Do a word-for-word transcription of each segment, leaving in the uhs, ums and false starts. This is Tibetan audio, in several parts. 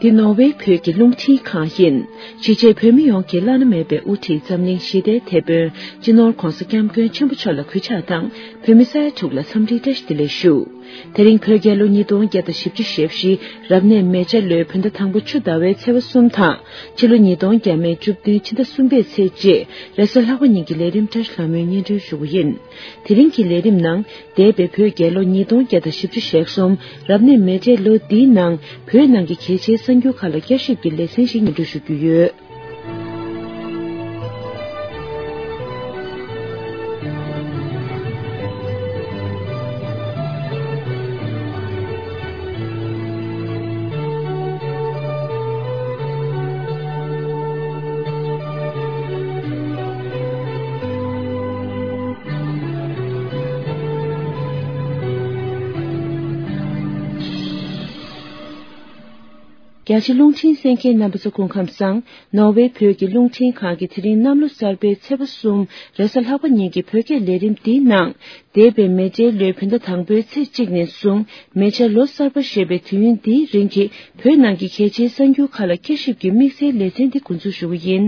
འདི་ནོར་ཝེ་བོད་ཀྱི་རླུང་འཕྲིན་ཁང་ཡིན། གཞིས་བྱེས་བོད་མི་ཡོངས་ཀྱི་བླ་ན་མེད་པའི་དབུ་ཁྲིད་འཛམ་གླིང་ཞི་བདེའི་དེད་དཔོན་སྤྱི་ནོར་༧གོང་ས་༧སྐྱབས་མགོན་ཆེན་པོ་མཆོག་ལ་གུས་ཕྱག་དང་། བོད་མི་ས་ཡ་དྲུག་ལ་འཚམས་འདྲིའི་བཀྲ་ཤིས་བདེ་ལེགས་ཞུ། དེ་རིང་བོད་རྒྱལ་ལོ་ཉིས་སྟོང་བརྒྱ་དང་བཞི་བཅུ་ཞེ་བཞི་རབ་གནས་མེ་བྱ་ལོའི་བོད་ཟླ་དང་པོ་ཆུ་ཟླ་བའི་ཚེས་པ་གསུམ་དང་། ཕྱི་ལོ་ཉིས་སྟོང་བརྒྱ་མེད་བཅུ་བདུན་ཕྱི་ཟླ་གསུམ་པའི་ཚེས་གཅིག་རེས་གཟའ་ལྷག་པ་ཉིན་གྱི་ལས་རིམ་བཀྲ་ཤིས་ལྷ་མོའི་སྙན་སྒྲོན་ཞུ་རྒྱུ་ཡིན། དེ་རིང་གི་ལས་རིམ་ནང་། འདས་པའི་བོད་རྒྱལ་ལོ་ཉིས་སྟོང་བརྒྱ་དང་བཞི་བཅུ་ཞེ་གསུམ་རབ་གནས་མེ་བྱའི་ལོ་འདིའི་ནང་བོད་ནང་གི་གལ་ཆེའི་གསར་འགྱུར་ཁག་ལ་བསྐྱར་ཞིབ་ཀྱི་ལེ་ཚན་ཞིག་སྙན་སྒྲོན་ཞུ་རྒྱུ་ཡོད། རྒྱ་ཆེ་རླུང་འཕྲིན་གསན་མཁན་རྣམ་པ་ཚོ་སྐུ་ཁམས་བཟང་། ནོར་ཝེ་བོད་ཀྱི་རླུང་འཕྲིན་ཁང་གིས་དེ་རིང་གནམ་ལོ་གསར་པའི་ཚེས་པ་གསུམ་རེས་གཟའ་ལྷག་པ་ཉིན་གྱི་བོད་སྐད་ལས་རིམ་འདིའི་ནང་། འདས་པའི་མེ་བྱའི་ལོའི་བོད་ཟླ་དང་པོའི་ཚེས་གཅིག་ནས་བཟུང་མེ་བྱ་ལོ་གསར་པ་ཞེས་པའི་དུས་ཡུན་འདིའི་རིང་གི་བོད་ནང་གི་གལ་ཆེའི་གསར་འགྱུར་ཁག་ལ་བསྐྱར་ཞིབ་ཀྱི་དམིགས་བསལ་ལེ་ཚན་འདི་འགོ་འཛུགས་ཞུ་གི་ཡིན།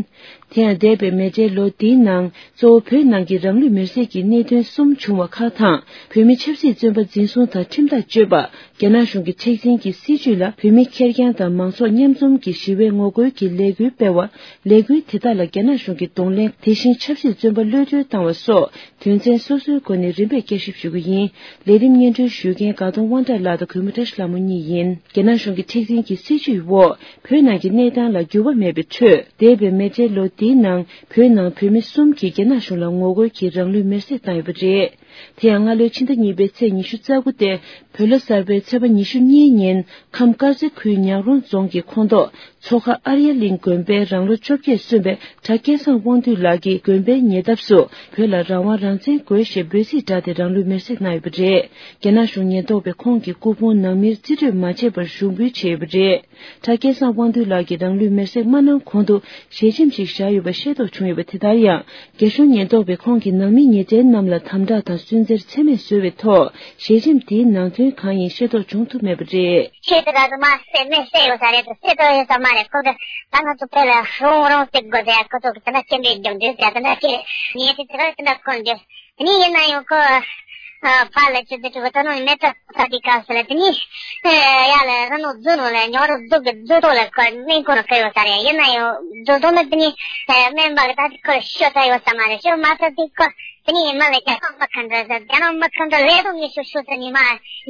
དེ་ཡང་འདས་པའི་མེ་བྱའི་ལོ་འདིའི་ནང་གཙོ་བོ་བོད་ནང་གི་རང་ལུས་མེར་སྲེག་གི་གནད་དོན་གསུམ་བྱུང་བ་ཁག་དང་། བོད་མི་ཆབ་སྲིད་བཙོན་པ་འཛིན་བཟུང་དང་ཁྲིམས་ཐག་གཅོད་པ། རྒྱ་ནག་གཞུང་གི་མཁྲེགས་འཛིན་གྱི་སྲིད་བྱུས་ལ་བོད་མི་ཁེར་རྐྱང་དང་མང་ཚོགས་མཉམ་འཛོམས་ཀྱི་ཞི་བའི་ངོ་རྒོལ་གྱི་ལས་འགུལ་སྤེལ་བ། ལས་འགུལ་དེ་དག་ལ་རྒྱ་ནག་གཞུང་གིས་གདོང་ལེན། དེ་བཞིན་ཆབ་སྲིད་བཙོན་པ་གློད་གྲོལ་བཏང་བ་སོགས་དོན་ཚན་སོ་སོའི་སྒོ་ནས་རིམ་པས་བསྐྱར་ཞིབ་ཞུ་རྒྱུ་ཡིན། ལས་རིམ་སྙན་སྒྲོན་ཞུ་མཁན་དགའ་གདོང་དབང་གྲགས་ལགས་དང་གུས་མོ་བཀྲ་ཤིས་ལྷ་མོ་གཉིས་ཡིན། རྒྱ་ནག་གཞུང་གི་མཁྲེགས་འཛིན་གྱི་སྲིད་བྱུས་འོག་བོད་ནང་གི་གནས་སྟངས་ལ་འགྱུར་བ་མེད་པའི་ཁྲོད། འདས་པའི་མེ་བྱའི་ལོ་འདིའི་ནང་བོད་ནང་བོད་མི་གསུམ་གྱིས་རྒྱ་ནག་གཞུང་ལ་ངོ་རྒོལ་གྱིས་རང་ལུས་མེར་སྲེག་བཏང་ཡོད་པ་རེད། དེ་ཡང་སྔ་ལོའི་ཕྱི་ཟླ་གཉིས་པའི་ཚེས་ཉི་ཤུ་རྩ་དགུ་སྟེ། བོད་ལོ་གསར་པའི་ཚེས་པ་ཉི་ཤུ་གཉིས་ཉིན་ཁམས་དཀར་མཛེས་ཁུལ་ཉག་རོང་རྫོང་གི་ཁོངས་གཏོགས་མཚོ་ཁ་ཨར་ཡ་གླིང་དགོན་པའི་རང་ལོ་བཅོ་བརྒྱད་སོན་པའི་གྲྭ་སྐལ་བཟང་དབང་འདུས་ལགས་ཀྱིས་དགོན་པའི་ཉེ་འདབས་སུ་བོད་ལ་རང་དབང་རང་བཙན་དགོས་ཞེས་འབོད་ཚིག་བསྒྲགས་ཏེ་རང་ལུས་མེར་སྲེག་གནང་ཡོད་པ་རེད། རྒྱ་ནག་གཞུང་ཉེན་རྟོག་པས་ཁོང་གི་སྐུ་ཕུང་ནང་མིར་རྩིས་སྤྲོད་མ་བྱས་པར་ཞུགས་འབུལ་བྱས་ཡོད་པ་རེད། གྲྭ་སྐལ་བཟང་དབང་འདུས་ལགས་ཀྱིས་རང་ལུས་མེར་སྲེག་མ་གནང་གོང་དུ་ཞལ་ཆེམས་ཤིག་བཞག་ཡོད་པ་ཤེས་རྟོགས་བྱུང་ཡོད་པ་དེ་ལྟར་ཡང་། རྒྱ་གཞུང་ཉེན་རྟོག་པས་ཁོང་གི་ནང་མི་ཉེ་ཚན་རྣམས་ལ་དམ་དྲག་དང་སུན་གཙེར་ཚད་མེད་བཟོས་པའི་ཐོག་ཞལ་ཆེམས་དེའི་ནང་དོན་གང་ཡིན་ཤེས་རྟོགས་བྱུང་ཐུབ་མེད་པ་རེད། ཁྱེད་དེ་ག་དུ་མ་སེ་མེ་སེ་ཡོད་ས་རེད་དུ་སེ་དོ་ཡོད་ས་མ་རེད། ཁོ་གི་ད་ང་ཚོ་བོད་ལ་རོང་རོང་སེ་དགོས་ཟེར་ཁོ་ཚོ་གི་དེ་འདྲ་སྐྱེ་འདྲེ་རྒྱུག་འདྲེ་ཟེར་དེ་འདྲ་སྐྱེ་ཉེ་དེ་དེ་ག་དེ་འདྲ་ཁོ་འདྲེ། དེ་ནས་ཡིན་ན་ཡང་ཁོ། ཨ། ཕར་ལ་ཅི་ཟེར་གྲུ་གུ་ད་ནོ་མེ་ཏྲ་ས་དེ་ག་ཟེར་ལ་དེ་ནས། ཨ། ཡ་ལ་རི་ནོ་རྫུ་ནོ་ལ་ཉོ་རུ་རྫུ་གི་རྫུ་ཏོ་ལ་ཁོ་སྨན་ཁོ་རུ་ཁ་ཡོད་ས་རེད། ཡིན་ན་ཡང་རྫུ་ཏོ་ནི་དེ་ནས། ཨ། སྨན་པ་གི་ད་དེ་ཁོ་ཤོ་ས་ཡོད་ས་མ་རེད། ཤོ་མ་ས་དེ་ཁོ་དེ་ནས་མ་ལ་རྒྱ་ནག་མི་ཁ་འགྲོ་ས་རྒྱ་ནག་མི་ཁ་འགྲོ་ལས་དོ་ངེས་ཤོ་ཤོ་ས་ནས་མ་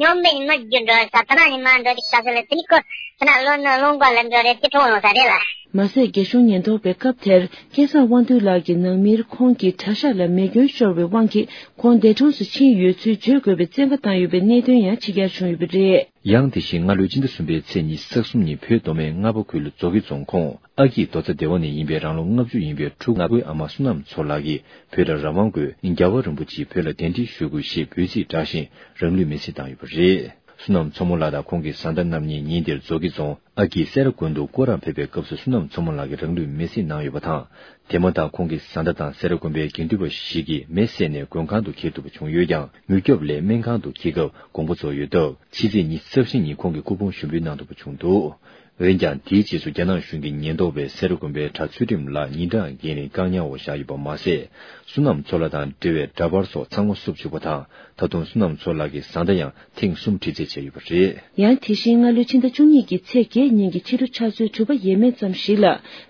ཉོ་མེད་ནས་མ་རྒྱུ་འགྲོ་ས་ད་ན་ནས་མ་འགྲོ་དེ་ག་ཟེར་ལ་དེ་ནས་ཁོ་ད་ན་ལོ་ན་ལོང་པ་ལ་འགྲོ་རེད་དེ་གྲོངས་ཡོང་ས་རེད་ལ། མ་ཟད་རྒྱ་གཞུང་ཉེན་རྟོག་པས་སྐབས་དེར། སྐལ་བཟང་དབང་འདུས་ལགས་ཀྱི་ནང་མིར་ཁོང་གི་གྲྭ་ཤག་ལ་མེ་སྐྱོན་ཤོར་བའི་དབང་གིས་ཁོང་འདས་གྲོངས་སུ་ཕྱིན་ཡོད་ཚུལ་བརྗོད་དགོས་པའི་བཙན་བཀའ་བཏང་ཡོད་པའི་གནད་དོན་ཡང་ཕྱི་གྱར་བྱུང་ཡོད་པ་རེད། ཡང་དེ་བཞིན་སྔ་ལོའི་ཕྱི་ཟླ་གསུམ་པའི་ཚེས་ཉི་ཤུ་རྩ་གསུམ་ཉིན་བོད་མདོ་སྨད་རྔ་པ་ཁུལ་མཛོ་སྐྱིད་རྫོང་ཁོངས་ཨ་སྐྱིད་རྡོ་རྩ་སྡེ་བ་ནས་ཡིན་པའི་རང་ལོ་ལྔ་བཅུ་ཡིན་པའི་ཕྲུ་གུ་ང་དགོན་ཨ་མ་བསོད་ནམས་མཚོ་ལགས་ཀྱིས་བོད་ལ་རང་དབང་དགོས། རྒྱལ་བ་རིན་པོ་ཆེས་བོད་ལ་གདན་འདྲེན་ཞུ་དགོས་ཞེས་འབོད་ཚིག་བསྒྲགས་ཤིང་རང་ལུས་མེར་སྲེག་བཏང་ཡོད་པ་རེད། བསོད་ནམས་མཚོ་མོ་ལགས་དང་ཁོང་གི་བཟའ་ཟླ་རྣམ་གཉིས་ཉིན་དེར་མཛོ་སྐྱིད་རྫོང་། ཨ་སྐྱིད་སེ་ར་དགོན་དུ་སྐོར་ར་ཕེབས་པའི་སྐབས་སུ་བསོད་ནམས་མཚོ་མོ་ལགས་ཀྱིས་རང་ལུས་མེར་སྲེག་གནང་ཡོད་པ་དང་། དེ་མ་ཐག་ཁོང་གི་བཟའ་ཟླ་དང་སེ་ར་དགོན་པའི་དགེ་འདུན་པ་ཞིག་གིས་མེ་བསད་ནས་མགོན་ཁང་དུ་འཁྱེར་ཐུབ་པ་བྱུང་ཡོད་ཀྱང་། མྱུར་སྐྱོབ་ལས་སྨན་ཁང་དུ་འཁྱེར་སྐབས་དགོངས་པ་རྫོགས་ཡོད་སྟབས། ཕྱི་ཚེས་ཉི་ཤུ་རྩ་བཞི་ཉིན་ཁོང་གི་སྐུ་ཕུང་ཞུགས་འབུལ་གནང་ཐུབ་པ་བྱུང་འདུག་འོན་ཀྱང་། དེའི་རྗེས་སུ་རྒྱ་ནག་གཞུང་གི་ཉེན་རྟོག་པས་སེ་ར་དགོན་པའི་གྲྭ་ཚུལ་ཁྲིམས་ལགས་ཉིན་གྲངས་བརྒལ་ནས་བཀག་ཉར་འོག་བཞག་ཡོད་པ་མ་ཟད། བསོད་ནམས་མཚོ་ལགས་དང་འབྲེལ་བའི་འདྲ་པར་སོགས་ཚང་མ་བསུབ་བཅུག་པ་དང་། ད་དུང་བསོད་ནམས་མཚོ་ལགས་ཀྱི་བཟའ་ཟླ་ཡང་ཐེངས་གསུམ་དྲི་རྩད་བྱས་ཡོད་པ་རེད། ཡང་དེ་བཞིན་སྔ་ལོའི་ཕྱི་ཟླ་བཅུ་གཉིས་ཀྱི་ཚེས་བརྒྱད་ཉིན་གྱི་ཕྱི་དྲོ་ཆུ་ཚོད་དྲུག་པ་ཡས་མས་ཙམ་ཞིག་ལ།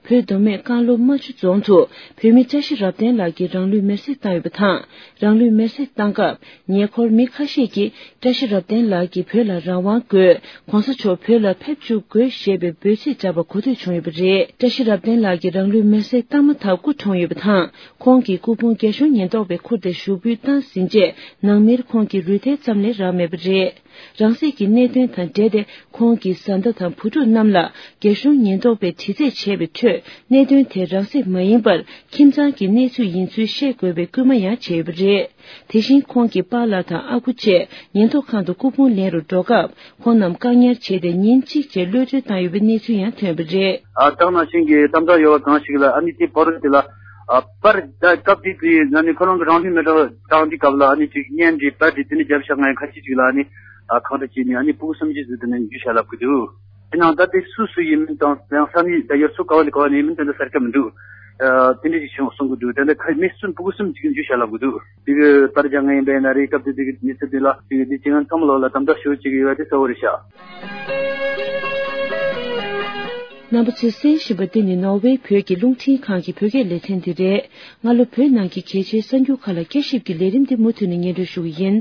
བོད་མདོ་སྨད་རྐང་ལོ་རྨ་ཆུ་རྫོང་དུ་བོད་མི་བཀྲ་ཤིས་རབ་བརྟན་ལགས་ཀྱིས་རང་ལུས་མེར་སྲེག་བཏང་ཡོད་པ་དང་། རང་ལུས་མེར་སྲེག་བཏང་སྐབས། ཉེ་འཁོར་མི་ཁ་ཤས་ཀྱིས་བཀྲ་ཤིས་རབ་བརྟན་ལགས་ཀྱིས་བོད་ལ་རང་དབང་དགོས། ༸གོང་ས་མཆོག་བོད་ལ་ཕེབས་བཅུག་དགོས་ཞེས་པའི་འབོད་ཚིག་བསྒྲགས་པ་གོ་ཐོས་བྱུང་ཡོད་པ་རེད། བཀྲ་ཤིས་རབ་བརྟན་ལགས་ཀྱིས་རང་ལུས་མེར་སྲེག་བཏང་མ་ཐག་སྐུ་གྲོངས་ཡོད་པ་དང་། ཁོང་གི་སྐུ་ཕུང་རྒྱ་གཞུང་ཉེན་རྟོག་པས་ཁུར་ཏེ་ཞུགས་འབུལ་བཏང་ཟིན་རྗེས། ནང་མིར་ཁོང་གི་རུས་ཐལ་ཙམ་ལས་རག་མེད་པ་རེད། རང་སྲེག་གི་གནད་དོན་དང་འབྲེལ་ཏེ། ཁོང་གི་བཟའ་ཟླ་དང་བུ་ཕྲུག་རྣམས་ལ་རྒྱ་གཞུང་ཉེན་རྟོག་པས་དྲི་རྩད་བྱས་པའི་ཁྲོད། གནད་དོན་དེ་རང་སྲེག་མ་ཡིན་པར། ཁྱིམ་ཚང་གི་གནས་ཚུལ་ཡིན་ཚུལ་ཤེས་དགོས་པའི་སྐུལ་མ་ཡང་བྱས་ཡོད་པ་རེད། དེ་བཞིན་ཁོང་གི་པཱ་ལགས་དང་ཨ་ཁུ་བཅས་ཉེན་རྟོག་ཁང་དུ་སྐུ་ཕུང་ལེན་རུ་འགྲོ་སྐབས། ཁོང་རྣམས་བཀག་ཉར་བྱས་ཏེ་ཉིན་གཅིག་རྗེས་གློད་གྲོལ་བཏང་ཡོད་པའི་གནས་ཚུལ་ཡང་ཐོན་པ་རེད། ཨ། ད་ག་ནང་བཞིན་གྱི་གཏམ་བརྡ་ཡོད་པ་གང་ཞིག་ལ། ཨ་ནི་དེ་བར་དུ་དེ་ལ། ཨ། པར་ད་སྐབས་དེ་དུས་ཨ་ནི་ཁོ་རང་གི་རང་ལུས་མེ་སྲེག་བཏང་དུས་སྐབས་ལ། ཨ་ནི་ཅིག་བརྙན་འདྲ་པར་འདྲ་དེ་ནི་རྒྱབ་ཤ་ང་ཁ་ཤས་ཅིག་ལ། ཨ་ནི། ཨ། གང་འདྲ་བྱས་ནས་ཨ་ནི་ཕྲུ་གུ་སུམ་ཅུ་ཙམ་དེ་ནི་འཇུ་བྱ་ལབ་ཀྱི་འདུག་ཡིན་ནའང་ད་དེ་སུ་སུ་ཡིན་མིན་དང་ཡང་ས་གནས་ད་ཡུལ་ཚོ་ག་བ་ནས་ག་བ་ནས་ཡིན་མིན་དེ་འདྲ་གསལ་ཁ་མི་འདུག། ཨ་དེ་འདྲ་ཞིག་བྱུང་གསུང་གི་འདུག། དེ་འདྲ་ཁ་མི་གསུམ་ཕྲུ་གུ་གསུམ་ཅིག་འཇུ་བྱ་ལབ་གི་འདུག། དེ་གི་པར་རྒྱག་ང་ཡིན་པ་ཡིན་ན་རེད། སྐབས་དེ་དེ་གི་མི་ཚེ་དེ་ལ་དེ་གི་དེ་ཅི་ང་ཚང་མ་ལོག་ལ་དམ་དྲག་ཞུ་ཅིག་ཡོད་པ་དེ་གསལ་བོ་རེད་ཤག། རྣམ་པ་ཚོས་གསན་བཞིན་པ་འདི་ནི་ནོར་ཝེ་བོད་ཀྱི་རླུང་འཕྲིན་ཁང་གི་བོད་སྐད་ལེ་ཚན་འདི་རེད། སྔ་ལོ་བོད་ནང་གི་གལ་ཆེའི་གསར་འགྱུར་ཁག་ལ་བསྐྱར་ཞིབ་ཀྱི་ལས་རིམ་འདི་མུ་མཐུད་ནས་སྙན་སྒྲོན་ཞུ་གི་ཡིན།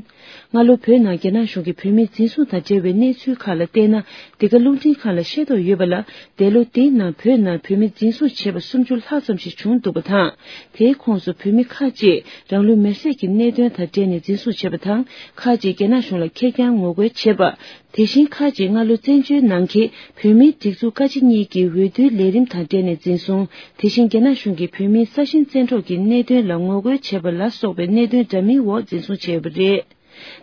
སྔ་ལོ་བོད་ནང་རྒྱ་ནག་གཞུང་གིས་བོད་མིའི་འཛིན་བཟུང་དང་འབྲེལ་བའི་གནས་ཚུལ་ཁག་ལ་བལྟས་ན། འདི་ག་རླུང་འཕྲིན་ཁང་ལ་ཤེས་རྟོགས་ཡོད་པ་ལ། འདས་ལོ་འདིའི་ནང་བོད་ནང་བོད་མི་འཛིན་བཟུང་བྱས་པ་སུམ་ཅུ་ལྷག་ཙམ་ཞིག་བྱུང་འདུག་པ་དང་། དེའི་ཁོངས་སུ་བོད་མི་ཁག་ཅིག་རང་ལུས་མེར་སྲེག་གི་གནད་དོན་དང་འབྲེལ་ནས་འཛིན་བཟུང་བྱས་པ་དང་། ཁག་ཅིག་རྒྱ་ནག་གཞུང་ལ་ཁེར་རྐྱང་ངོ་རྒོལ་བྱས་པ། དེ་བཞིན་ཁག་ཅིག་སྔ་ལོ་བཙན་བྱོལ་ནང་གི་བོད་མིའི་སྒྲིག་འཛུགས་བཀའ་སྤྱི་གཉིས་ཀྱི་འོས་བསྡུའི་ལས་རིམ་དང་འབྲེལ་ནས་འཛིན་བཟུང་། དེ་བཞིན་རྒྱ་ནག་གཞུང་གིས་བོད་མིའི་ས་ཞིང་བཙན་འཕྲོག་གི་གནད་དོན་ལ་ངོ་རྒོལ་བྱས་པ་ལ་སོགས་པའི་གནད་དོན་འདྲ་མིན་འོག་འཛིན་བཟུང་བྱས་ཡོད་པ་རེད།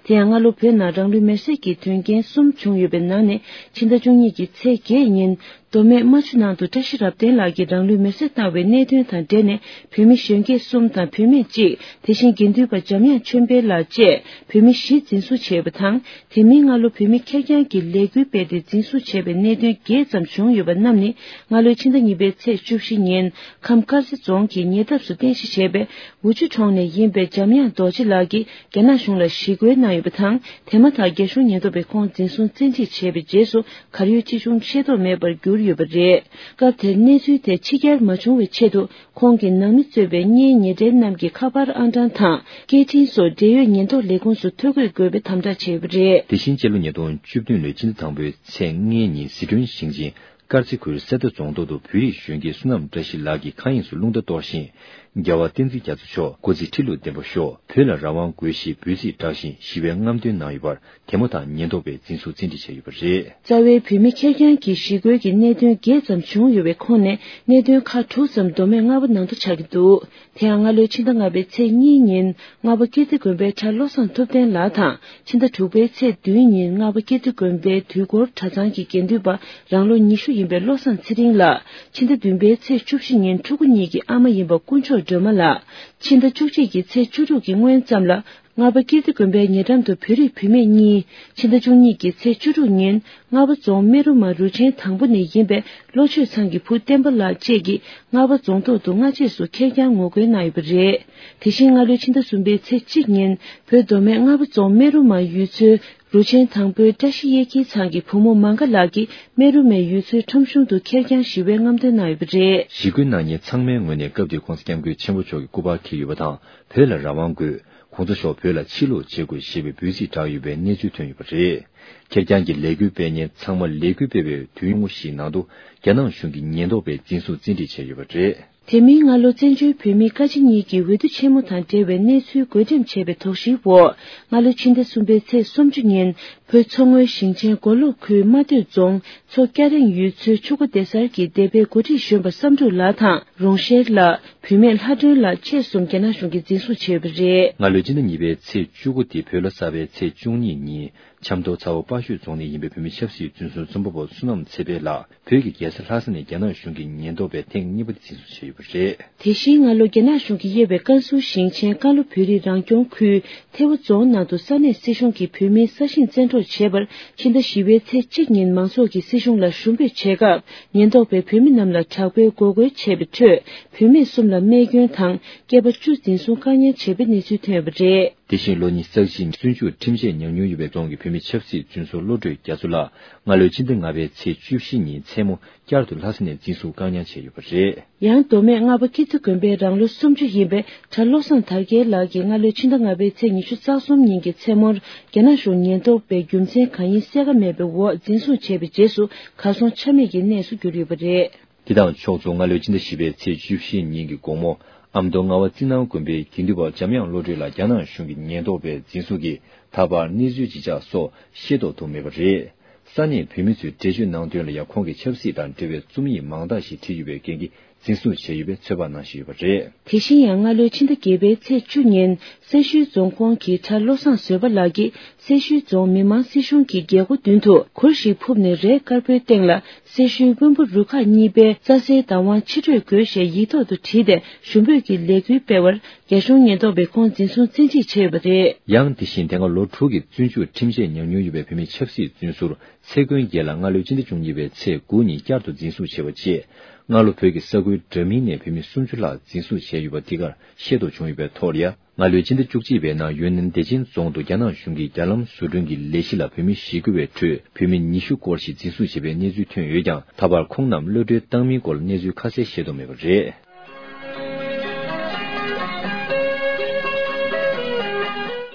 དེ་ཡང་སྔ་ལོ་བོད་ནང་རང་ལུས་མེར་སྲེག་གི་དོན་རྐྱེན་གསུམ་བྱུང་ཡོད་པའི་ནང་ནས་ཕྱི་ཟླ་བཅུ་གཉིས་ཀྱི་ཚེས་བརྒྱད་ཉིན། མདོ་སྨད་རྨ་ཆུ་ནང་དུ་བཀྲ་ཤིས་རབ་བརྟན་ལགས་ཀྱིས་རང་ལུས་མེར་སྲེག་བཏང་བའི་གནད་དོན་དང་འབྲེལ་ནས་བོད་མི་གཞོན་སྐྱེས་གསུམ་དང་བུད་མེད་གཅིག། དེ་བཞིན་དགེ་འདུན་པ་འཇམ་དབྱངས་ཆོས་འཕེལ་ལགས་བཅས་བོད་མི་བཞི་འཛིན་བཟུང་བྱས་ཡོད་པ་དང་། དེ་མིན་སྔ་ལོ་བོད་མི་ཁེར་རྐྱང་གིས་ལས་འགུལ་སྤེལ་ཏེ་འཛིན་བཟུང་བྱས་པའི་གནད་དོན་བརྒྱད་ཙམ་བྱུང་ཡོད་པ་རྣམས་ནི། སྔ་ལོའི་ཕྱི་ཟླ་གཉིས་པའི་ཚེས་བཅུ་བཞི་ཉིན་ཁམས་དཀར་མཛེས་རྫོང་གི་ཉེ་འདབས་སུ་རྟེན་གཞི་བྱས་པའི་འུ་ཆུ་གྲོང་ནས་ཡིན་པའི་འཇམ་དབྱངས་རྡོ་རྗེ་ལགས་ཀྱིས་རྒྱ་ནག་གཞུང་ལ་ཞི་རྒོལ་གནང་ཡོད་པ་དང་། དེ་མ་ཐག་རྒྱ་གཞུང་ཉེན་རྟོག་པས་ཁོང་འཛིན་བཟུང་བཙན་ཁྲིད་བྱས་པའི་རྗེས་སུ། གར་ཡོད་ཅི་བྱུང་ཤེས་རྟོགས་མེད་པར་གྱུར་ཡོད་པ་རེད། སྐབས་དེར་གནས་ཚུལ་དེ་ཕྱི་གྱར་མ་བྱུང་བའི་ཆེད་དུ། ཁོང་གི་ནང་མི་གཙོས་པའི་གཉེན་ཉེ་འབྲེལ་རྣམས་ཀྱིས་ཁ་པར་ཨང་གྲངས་དང་། སྐད་འཕྲིན་སོགས་འབྲེལ་ཡོད་ཉེན་རྟོག་ལས་ཁུངས་སུ་ཐོ་འགོད་དགོས་པའི་དམ་བསྒྲགས་བྱས་ཡོད་པ་རེད། དེ་བཞིན་སྤྱི་ལོ་ཉིས་སྟོང་བཅུ་བདུན་ལོའི་ཕྱི་ཟླ་དང་པོའི་ཚེས་ལྔའི་ཉིན་ཟི་ཁྲོན་ཞིང་ཆེན་དཀར་རྩེ་ཁུལ་གསེར་རྟ་རྫོང་ཐོག་ཏུ་བོད་རིགས་གཞོན་སྐྱེས་བསོད་ནམས་བཀྲ་ཤིས་ལགས་ཀྱིས་མཁའ་དབྱིངས་སུ་རླུང་རྟ་གཏོར་ཞིང་། རྒྱལ་བ་བསྟན་འཛིན་རྒྱ་མཚོ་མཆོག་སྐུ་ཚེ་ཁྲི་ལོ་བརྟན་པར་ཤོག། བོད་ལ་རང་དབང་དགོས་ཞེས་འབོད་ཚིག་བསྒྲགས་ཤིང་ཞི་བའི་རྔམ་སྟོན་གནང་ཡོད་པར། དེ་མ་ཐག་ཉེན་རྟོག་པས་འཛིན་བཟུང་བཙན་ཁྲིད་བྱས་ཡོད་པ་རེད། རྩ་བའི་བོད་མི་ཁེར་རྐྱང་གི་ཞི་རྒོལ་གྱི་གནད་དོན་བརྒྱད་ཙམ་བྱུང་ཡོད་པའི་ཁོངས་ནས་གནད་དོན་ཁག་དྲུག་ཙམ་མདོ་སྨད་རྔ་བ་ནང་དུ་ཆགས་ཀྱི་འདུག། དེ་ཡང་སྔ་ལོའི་ཕྱི་ཟླ་ལྔ་པའི་ཚེས་གཉིས་ཉིན་རྔ་བ་ཀིརྟི་དགོན་པའི་གྲྭ་བློ་བཟང་ཐུབ་བསྟན་ལགས་དང་། ཕྱི་ཟླ་དྲུག་པའི་ཚེས་བདུན་ཉིན་རྔ་བ་ཀིརྟི་དགོན་པའི་དུས་འཁོར་གྲྭ་ཚང་གི་དགེ་འདུན་པ་རང་ལོ་ཉི་ཤུ་ཡིན་པའི་བློ་བཟང་ཚེ་རིང་ལགས། ཕྱི་ཟླ་བདུན་པའི་ཚེས་བཅུ་བཞི་ཉིན་ཕྲུ་གུ་གཉིས་ཀྱི་ཨ་མ་ཡིན་པ་དཀོན་མཆོག་སྒྲོལ་མ་ལགས། ཕྱི་ཟླ་བཅུ་གཅིག་གི་ཚེས་བཅུ་དྲུག་གི་སྔོན་ཙམ་ལ། རྔ་བ་ཀིརྟི་དགོན་པའི་ཉེ་འགྲམ་དུ་བོད་རིགས་བུད་མེད་གཉིས། ཕྱི་ཟླ་བཅུ་གཉིས་ཀྱི་ཚེས་བཅུ་དྲུག་ཉིན་རྔ་བ་རྫོང་སྨན་རུ་མ་རུ་ཆེན་དང་པོ་ནས་ཡིན་པའི་བློ་ཆོས་ཚང་གི་བུ་བསྟན་པ་ལགས་བཅས་ཀྱིས་རྔ་བ་རྫོང་ཐོག་ཏུ་སྔ་རྗེས་སུ་ཁེར་རྐྱང་ངོ་རྒོལ་གནང་ཡོད་པ་རེད། དེ་བཞིན་སྔ་ལོའི་ཕྱི་ཟླ་གསུམ་པའི་ཚེས་གཅིག་ཉིན་བོད་མདོ་སྨད་རྔ་བ་རྫོང་སྨན་རུ་མ་ཡུལ་ཚོའི་རུ་ཆེན་དང་པོའི་བཀྲ་ཤིས་གཡས་འཁྱིལ་ཚང་གི་བུ་མོ་མང་ག་ལགས་ཀྱིས་སྨན་རུ་མའི་ཡུལ་ཚོའི་ཁྲོམ་གཞུང་དུ་ཁེར་རྐྱང་ཞི་བའི་རྔམ་སྟོན་གནང་ཡོད་པ་རེད། ཞི་རྒོལ་གནང་མཁན་ཚང་མའི་ངོས་ནས་སྐབས་དེའི་༸གོང་ས་༸སྐྱབས་མགོན་ཆེན་པོ་མཆོག་གི་སྐུ་པར་འཁྱེར་ཡོད་པ་དང་། བོད་ལ་རང་དབང་དགོས། གོང་ས་མཆོག་བོད་ལ་ཕྱིར་ལོག་བྱེད་དགོས་ཞེས་པའི་འབོད་ཚིག་བསྒྲགས་ཡོད་པའི་གནས་ཚུལ་ཐོན་ཡོད་པ་རེད། ཁེར་རྐྱང་གི་ལས་འགུལ་སྤེལ་མཁན་ཚང་མ་ལས་འགུལ་སྤེལ་བའི་དུས་ཡུན་ཞིག་ནང་དུ་རྒྱ་ནག་གཞུང་གིས་ཉེན་རྟོག་པས་འཛིན་བཟུང་བཙན་ཁྲིད་བྱས་ཡོད་པ་རེད། དེ་མིན་སྔ་ལོ་བཙན་བྱོལ་བོད་མིའི་བཀའ་སྤྱི་གཉིས་ཀྱི་འོས་བསྡུ་ཆེན་མོ་དང་འབྲེལ་བའི་གནས་ཚུལ་བགོ་འགྲེམས་བྱས་པའི་དོགས་གཞིའི་འོག། སྔ་ལོ་ཕྱི་ཟླ་གསུམ་པའི་ཚེས་སུམ་ཅུ་ཉིན་བོད་མཚོ་སྔོན་ཞིང་ཆེན་མགོ་ལོག་ཁུལ་རྨ་སྟོད་རྫོང་མཚོ་སྐྱ་རེངས་ཡུལ་ཚོའི་ཆུ་འགོ་སྡེ་གསར་གྱི་སྡེ་པའི་འགོ་ཁྲིད་གཞོན་པ་བསམ་འགྲུབ་ལགས་དང་། རོང་ཤེར་ལགས། བུད་མེད་ལྷ་སྒྲོན་ལགས་བཅས་གསུམ་རྒྱ་ནག་གཞུང་གིས་འཛིན་བཟུང་བྱས་ཡོད་པ་རེད། སྔ་ལོའི་ཕྱི་ཟླ་གཉིས་པའི་ཚེས་བཅུ་དགུ་སྟེ་བོད་ལོ་གསར་པའི་ཚེས་བཅུ་གཉིས་ཉིན་ཆབ་མདོ་ཚ་བོ་དཔའ་ཤོད་རྫོང་ནས་ཡིན་པའི་བོད་མི་ཆབ་སྲིད་བཙོན་ཟུར་རྩོམ་པ་པོ་བསོད་ནམས་ཚེ་འཕེལ་ལགས་བོད་ཀྱི་རྒྱལ་ས་ལྷ་ས་ནས་རྒྱ་ནག་གཞུང་གི་ཉེན་རྟོག་པས་ཐེངས་གཉིས་པ་དེ་འཛིན་བཟུང་བྱས་ཡོད་པ་རེད། དེ་བཞིན་སྔ་ལོ་རྒྱ་ནག་གཞུང་གིས་དབྱེ་བའི་ཀན་སུའུ་ཞིང་ཆེན་ཀན་ལྷོ་བོད་རིགས་རང་སྐྱོང་ཁུལ་ཐེ་བོ་རྫོང་ནང་དུ་ས་གནས་སྲིད་གཞུང་གིས་བོད་མིའི་ས་ཞིང་བཙན་འཕྲོག་བྱས་པར་ཕྱི་ཟླ་བཞི་པའི་ཚེས་གཅིག་ཉིན་མང་ཚོགས་ཀྱིས་སྲིད་གཞུང་ལ་ཞུ་འབོད་བྱས་སྐབས། ཉེན་རྟོག་པས་བོད་མི་རྣམས་ལ་དྲག་པོའི་འགོག་རྒོལ་བྱས་པའི་ཁྲོད། བུད་མེད་གསུམ་ལ་རྨས་སྐྱོན་དང་སྐྱེས་པ་བཅུ་འཛིན་བཟུང་བཀག་ཉར་བྱས་པའི་གནས་ཚུལ་ཐོན་ཡོད་པ་རེད། དེ་བཞིན་ལོ་ཉི་ཤུ་རྩ་བཞི་བཙོན་འཇུག་ཁྲིམས་ཆད་མྱོང་མྱོང་ཡོད་པའི་རྫོང་གི་བོད་མི་ཆབ་སྲིད་བཙོན་ཟུར་བློ་གྲོས་རྒྱ་མཚོ་ལགས་སྔ་ལོའི་ཕྱི་ཟླ་ལྔ་པའི་ཚེས་བཅུ་བཞི་ཉིན་མཚན་མོ་བསྐྱར་དུ་ལྷ་ས་ནས་འཛིན་བཟུང་བཀག་ཉར་བྱས་ཡོད་པ་རེད། ཡང་མདོ་སྨད་རྔ་བ་ཀིརྟི་དགོན་པའི་རང་ལོ་སུམ་ཅུ་ཡིན་པའི་གྲྭ་བློ་བཟང་དར་རྒྱས་ལགས་ཀྱིས་སྔ་ལོའི་ཕྱི་ཟླ་ལྔ་པའི་ཚེས་ཉི་ཤུ་རྩ་གསུམ་ཉིན་གྱི་མཚན་མོར་རྒྱ་ནག་གཞུང་ཉེན་རྟོག་པས་རྒྱུ་མཚན་གང་ཡིན་གསལ་ཁ་མེད་པའི་འོག་འཛིན་བཟུང་བྱས་པའི་རྗེས་སུ་གར་སོང་ཆ་མེད་ཀྱི་གནས་སུ་གྱུར་ཡོད་པ་རེད། དེ་དང་ཕྱོགས་མཚུངས་སྔ་ལོའི་ཕྱི་ཟླ་བཞི་པའི་ཚེས་བཅུ་བཞི་ཉིན་གྱི་དགོང་མོ་ཨ་མདོ་རྔ་བ་རྩི་ནང་དགོན་པའི་དགེ་འདུན་པ་འཇམ་དབྱངས་བློ་གྲོས་ལགས་རྒྱ་ནག་གཞུང་གི་ཉེན་རྟོག་པས་འཛིན་བཟུང་གིས་ད་བར་གནས་ཚུལ་ཇི་ཆགས་སོགས་ཤེས་རྟོགས་ཐུབ་མེད་པ་རེད། ས་གནས་བོད་མི་ཚོས་འགྲེལ་བརྗོད་གནང་དོན་ལ་ཡང་ཁོང་གིས་ཆབ་སྲིད་དང་འབྲེལ་བའི་རྩོམ་ཡིག་མང་དག་ཞིག་བྲིས་ཡོད་པའི་རྐྱེན་གྱིས། འཛིན་བཟུང་བྱས་ཡོད་པའི་ཚོད་དཔག་གནང་བཞིན་ཡོད་པ་རེད། དེ་བཞིན་ཡང་སྔ་ལོའི་ཕྱི་ཟླ་བརྒྱད་པའི་ཚེས་བཅུ་ཉིན་སེར་ཤུལ་རྫོང་ཁོངས་ཀྱི་གྲྭ་བློ་བཟང་བཟོད་པ་ལགས་ཀྱིས་སེར་ཤུལ་རྫོང་མི་དམངས་སྲིད་གཞུང་གི་རྒྱལ་སྒོ་མདུན་དུ་གུར་ཞིག་ཕུབ་ནས་རས་དཀར་པོའི་སྟེང་ལ་སེར་ཤུལ་དབོན་པོ་རུ་ཁག་གཉིས་པའི་རྩྭ་སའི་བདག་དབང་ཕྱིར་སྤྲོད་དགོས་ཞེས་ཡིག་ཐོག་ཏུ་བྲིས་ཏེ་ཞུ་འབོད་ཀྱི་ལས་འགུལ་སྤེལ་བར། རྒྱ་གཞུང་ཉེན་རྟོག་པས་ཁོང་འཛིན་བཟུང་བཙན་ཁྲིད་བྱས་ཡོད་པ་རེད། ཡང་དེ་བཞིན་དེ་སྔ་ལོ་དྲུག་གི་བཙོན་འཇུག་ཁྲིམས་ཆད་མྱངས་མྱོང་ཡོད་པའི་བོད་མི་ཆབ་སྲིད་བཙོན་ཟུར་ཚེ་མགོན་རྒྱལ་ལགས་སྔ་ལོའི་ཕྱི་ཟླ་བཅུ་གཉིས་པའི་ཚེས་དགུ་ཉིན་བསྐྱར་དུ་འཛིན་བཟུང་བྱས་པ་རྗེས། སྔ་ལོ་བོད་ཀྱི་ས་ཁུལ་འདྲ་མིན་ནས་བོད་མི་སུམ་ཅུ་ལྷག་འཛིན་བཟུང་བྱས་ཡོད་པ་འདི་གར་ཤེས་རྟོགས་བྱུང་ཡོད་པའི་ཐོག་ལ་ཡ། སྔ་ལོའི་ཕྱི་ཟླ་བཅུ་གཅིག་པའི་ནང་ཡུན་ནན་བདེ་ཆེན་རྫོང་དུ་རྒྱ་ནག་གཞུང་གིས་རྒྱ་ལམ་བཟོ་སྐྲུན་གྱི་ལས་གཞི་ལ་བོད་མི་ཞི་རྒོལ་བའི་ཁྲོད་བོད་མི་ཉི་ཤུ་སྐོར་ཞིག་འཛིན་བཟུང་བྱས་པའི་གནས་ཚུལ་ཐོན་ཡོད་ཀྱང་། ད་བར་ཁོང་རྣམས་གློད་གྲོལ་བཏང་མིན་སྐོར་གནས་ཚུལ་ཁ་གསལ་ཤེས་རྟོགས་མེད་པ་རེད།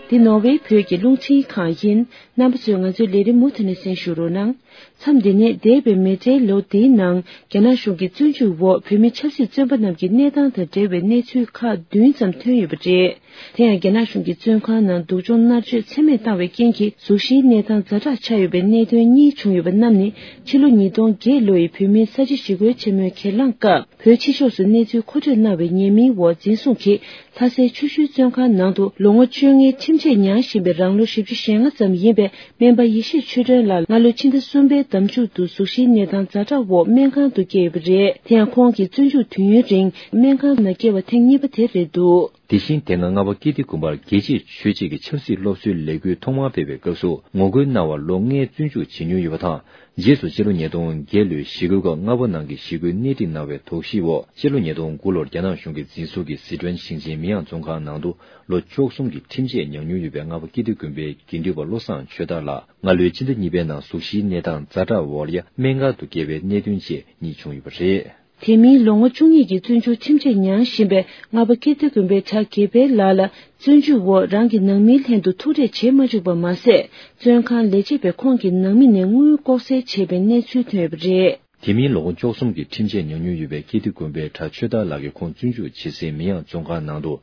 འདི་ནོར་ཝེ་བོད་ཀྱི་རླུང་འཕྲིན་ཁང་ཡིན། རྣམ་པ་ཚོས་ང་ཚོའི་ལས་རིམ་མུ་མཐུད་ནས་གསན་ཞུ་རོགས་གནང་། མཚམས་འདི་ནས་འདས་པའི་མེ་ཁྲིའི་ལོ་འདིའི་ནང་རྒྱ་ནག་གཞུང་གི་བཙོན་འཇུག་འོག་བོད་མི་ཆབ་སྲིད་བཙོན་པ་རྣམས་ཀྱི་གནས་སྟངས་དང་འབྲེལ་བའི་གནས་ཚུལ་ཁག་བདུན་ཙམ་ཐོན་ཡོད་པ་རེད། དེ་ཡང་རྒྱ་ནག་གཞུང་གི་བཙོན་ཁང་ནང་སྡུག་སྦྱོང་མནར་གཅོད་ཚད་མེད་བཏང་བའི་རྐྱེན་གྱིས་གཟུགས་གཞིའི་གནས་སྟངས་ཛ་དྲག་ཆགས་ཡོད་པའི་གནད་དོན་གཉིས་བྱུང་ཡོད་པ་རྣམས་ནི་ཕྱི་ལོ་ཉིས་སྟོང་བརྒྱད་ལོ་ཡི་བོད་མིའི་ས་བྱི་ཞི་རྒོལ་ཆེན་མོའི་གྱེན་ལངས་སྐབས། བོད་ཕྱི་ཕྱོགས་སུ་གནས་ཚུལ་མཁོ་སྤྲོད་གནང་བའི་ཉེས་མིང་འོག་འཛིན་བཟུང་གིས་ལྷ་སའི་ཆུ་ཤུལ་བཙོན་ཁང་ནང་དུ་ལོ་ངོ་བཅོ་ལྔའི་ཁྲིམས་ཆད་མྱངས་བཞིན་པའི་རང་ལོ་བཞི་བཅུ་ཞེ་ལྔ་ཙམ་ཡིན་པའི་སྨན་པ་ཡེ་ཤེས་ཆོས་སྒྲོན་ལགས་སྔ་ལོའི་ཕྱི་ཟླ་གསུམ་པའི་ཟླ་མཇུག་ཏུ་གཟུགས་གཞིའི་གནས་སྟངས་ཛ་དྲག་འོག་སྨན་ཁང་དུ་བསྐྱལ་ཡོད་པ་རེད། དེ་ཡང་ཁོང་གི་བཙོན་འཇུག་དུས་ཡུན་རིང་སྨན་ཁང་ནང་བསྐྱལ་བ་ཐེངས་གཉིས་པ་དེ་རེད་འདུག་དེ་བཞིན་དེ་སྔ་རྔ་བ་ཀིརྟི་དགོན་པར་རྒྱལ་གཅེས་ཆོས་གཅེས་ཀྱི་ཆབ་སྲིད་སློབ་གསོའི་ལས་འགུལ་ཐོག་མར་སྤེལ་བའི་སྐབས་སུ་ངོ་རྒོལ་གནང་བར་ལོ་ལྔའི་བཙོན་འཇུག་བྱེད་མྱོང་ཡོད་པ་དང་། རྗེས་སུ་སྤྱི་ལོ་ཉིས་སྟོང་བརྒྱད་ལོའི་ཞི་རྒོལ་སྐབས་རྔ་བ་ནང་གི་ཞི་རྒོལ་སྣེ་ཁྲིད་གནང་བའི་དོགས་གཞིའི་འོག་སྤྱི་ལོ་ཉིས་སྟོང་དགུ་ལོར་རྒྱ་ནག་གཞུང་གིས་འཛིན་བཟུང་གིས་ཟི་ཁྲོན་ཞིང་ཆེན་མི་དབྱངས་བཙོན་ཁང་ནང་དུ་ལོ་བཅུ་གསུམ་གྱི་ཁྲིམས་ཆད་མྱངས་མྱོང་ཡོད་པའི་རྔ་བ་ཀིརྟི་དགོན་པའི་དགེ་འདུན་པ་བློ་བཟང་ཆོས་དར་ལགས་སྔ་ལོའི་ཕྱི་ཟླ་གཉིས་པའི་ནང་གཟུགས་གཞིའི་གནས་སྟངས་ཛ་དྲག་འོག་ལ་སྨན་ཁང་དུ་བསྐྱལ་བའི་གནད་དོན་བཅས་གཉིས་བྱུང་ཡོད་པ་རེད། དེ་མིན་ལོ་ངོ་བཅུ་གཉིས་ཀྱི་བཙོན་འཇུག་ཁྲིམས་ཆད་མྱངས་བཞིན་པའི་རྔ་བ་ཀིརྟི་དགོན་པའི་གྲྭ་དགེ་འཕེལ་ལགས་ལ་བཙོན་འཇུག་འོག་རང་གི་ནང་མིའི་ལྷན་དུ་ཐུག་འཕྲད་བྱེད་མ་བཅུག་པ་མ་ཟད། བཙོན་ཁང་ལས་བྱེད་པས་ཁོང་གི་ནང་མི་ནས་དངུལ་ལྐོག་ཟ་བྱས་པའི་གནས་ཚུལ་ཐོན་ཡོད་པ་རེད། དེ་མིན་ལོ་ངོ་བཅུ་གསུམ་གྱི་ཁྲིམས་ཆད་མྱངས་མྱོང་ཡོད་པའི་ཀིརྟི་དགོན་པའི་གྲྭ་ཆོས་དར་ལགས་ཀྱིས་ཁོང་བཙོན་འཇུག་བྱེད་སའི་མི་དབྱངས་བཙོན་ཁང་ནང་དུ།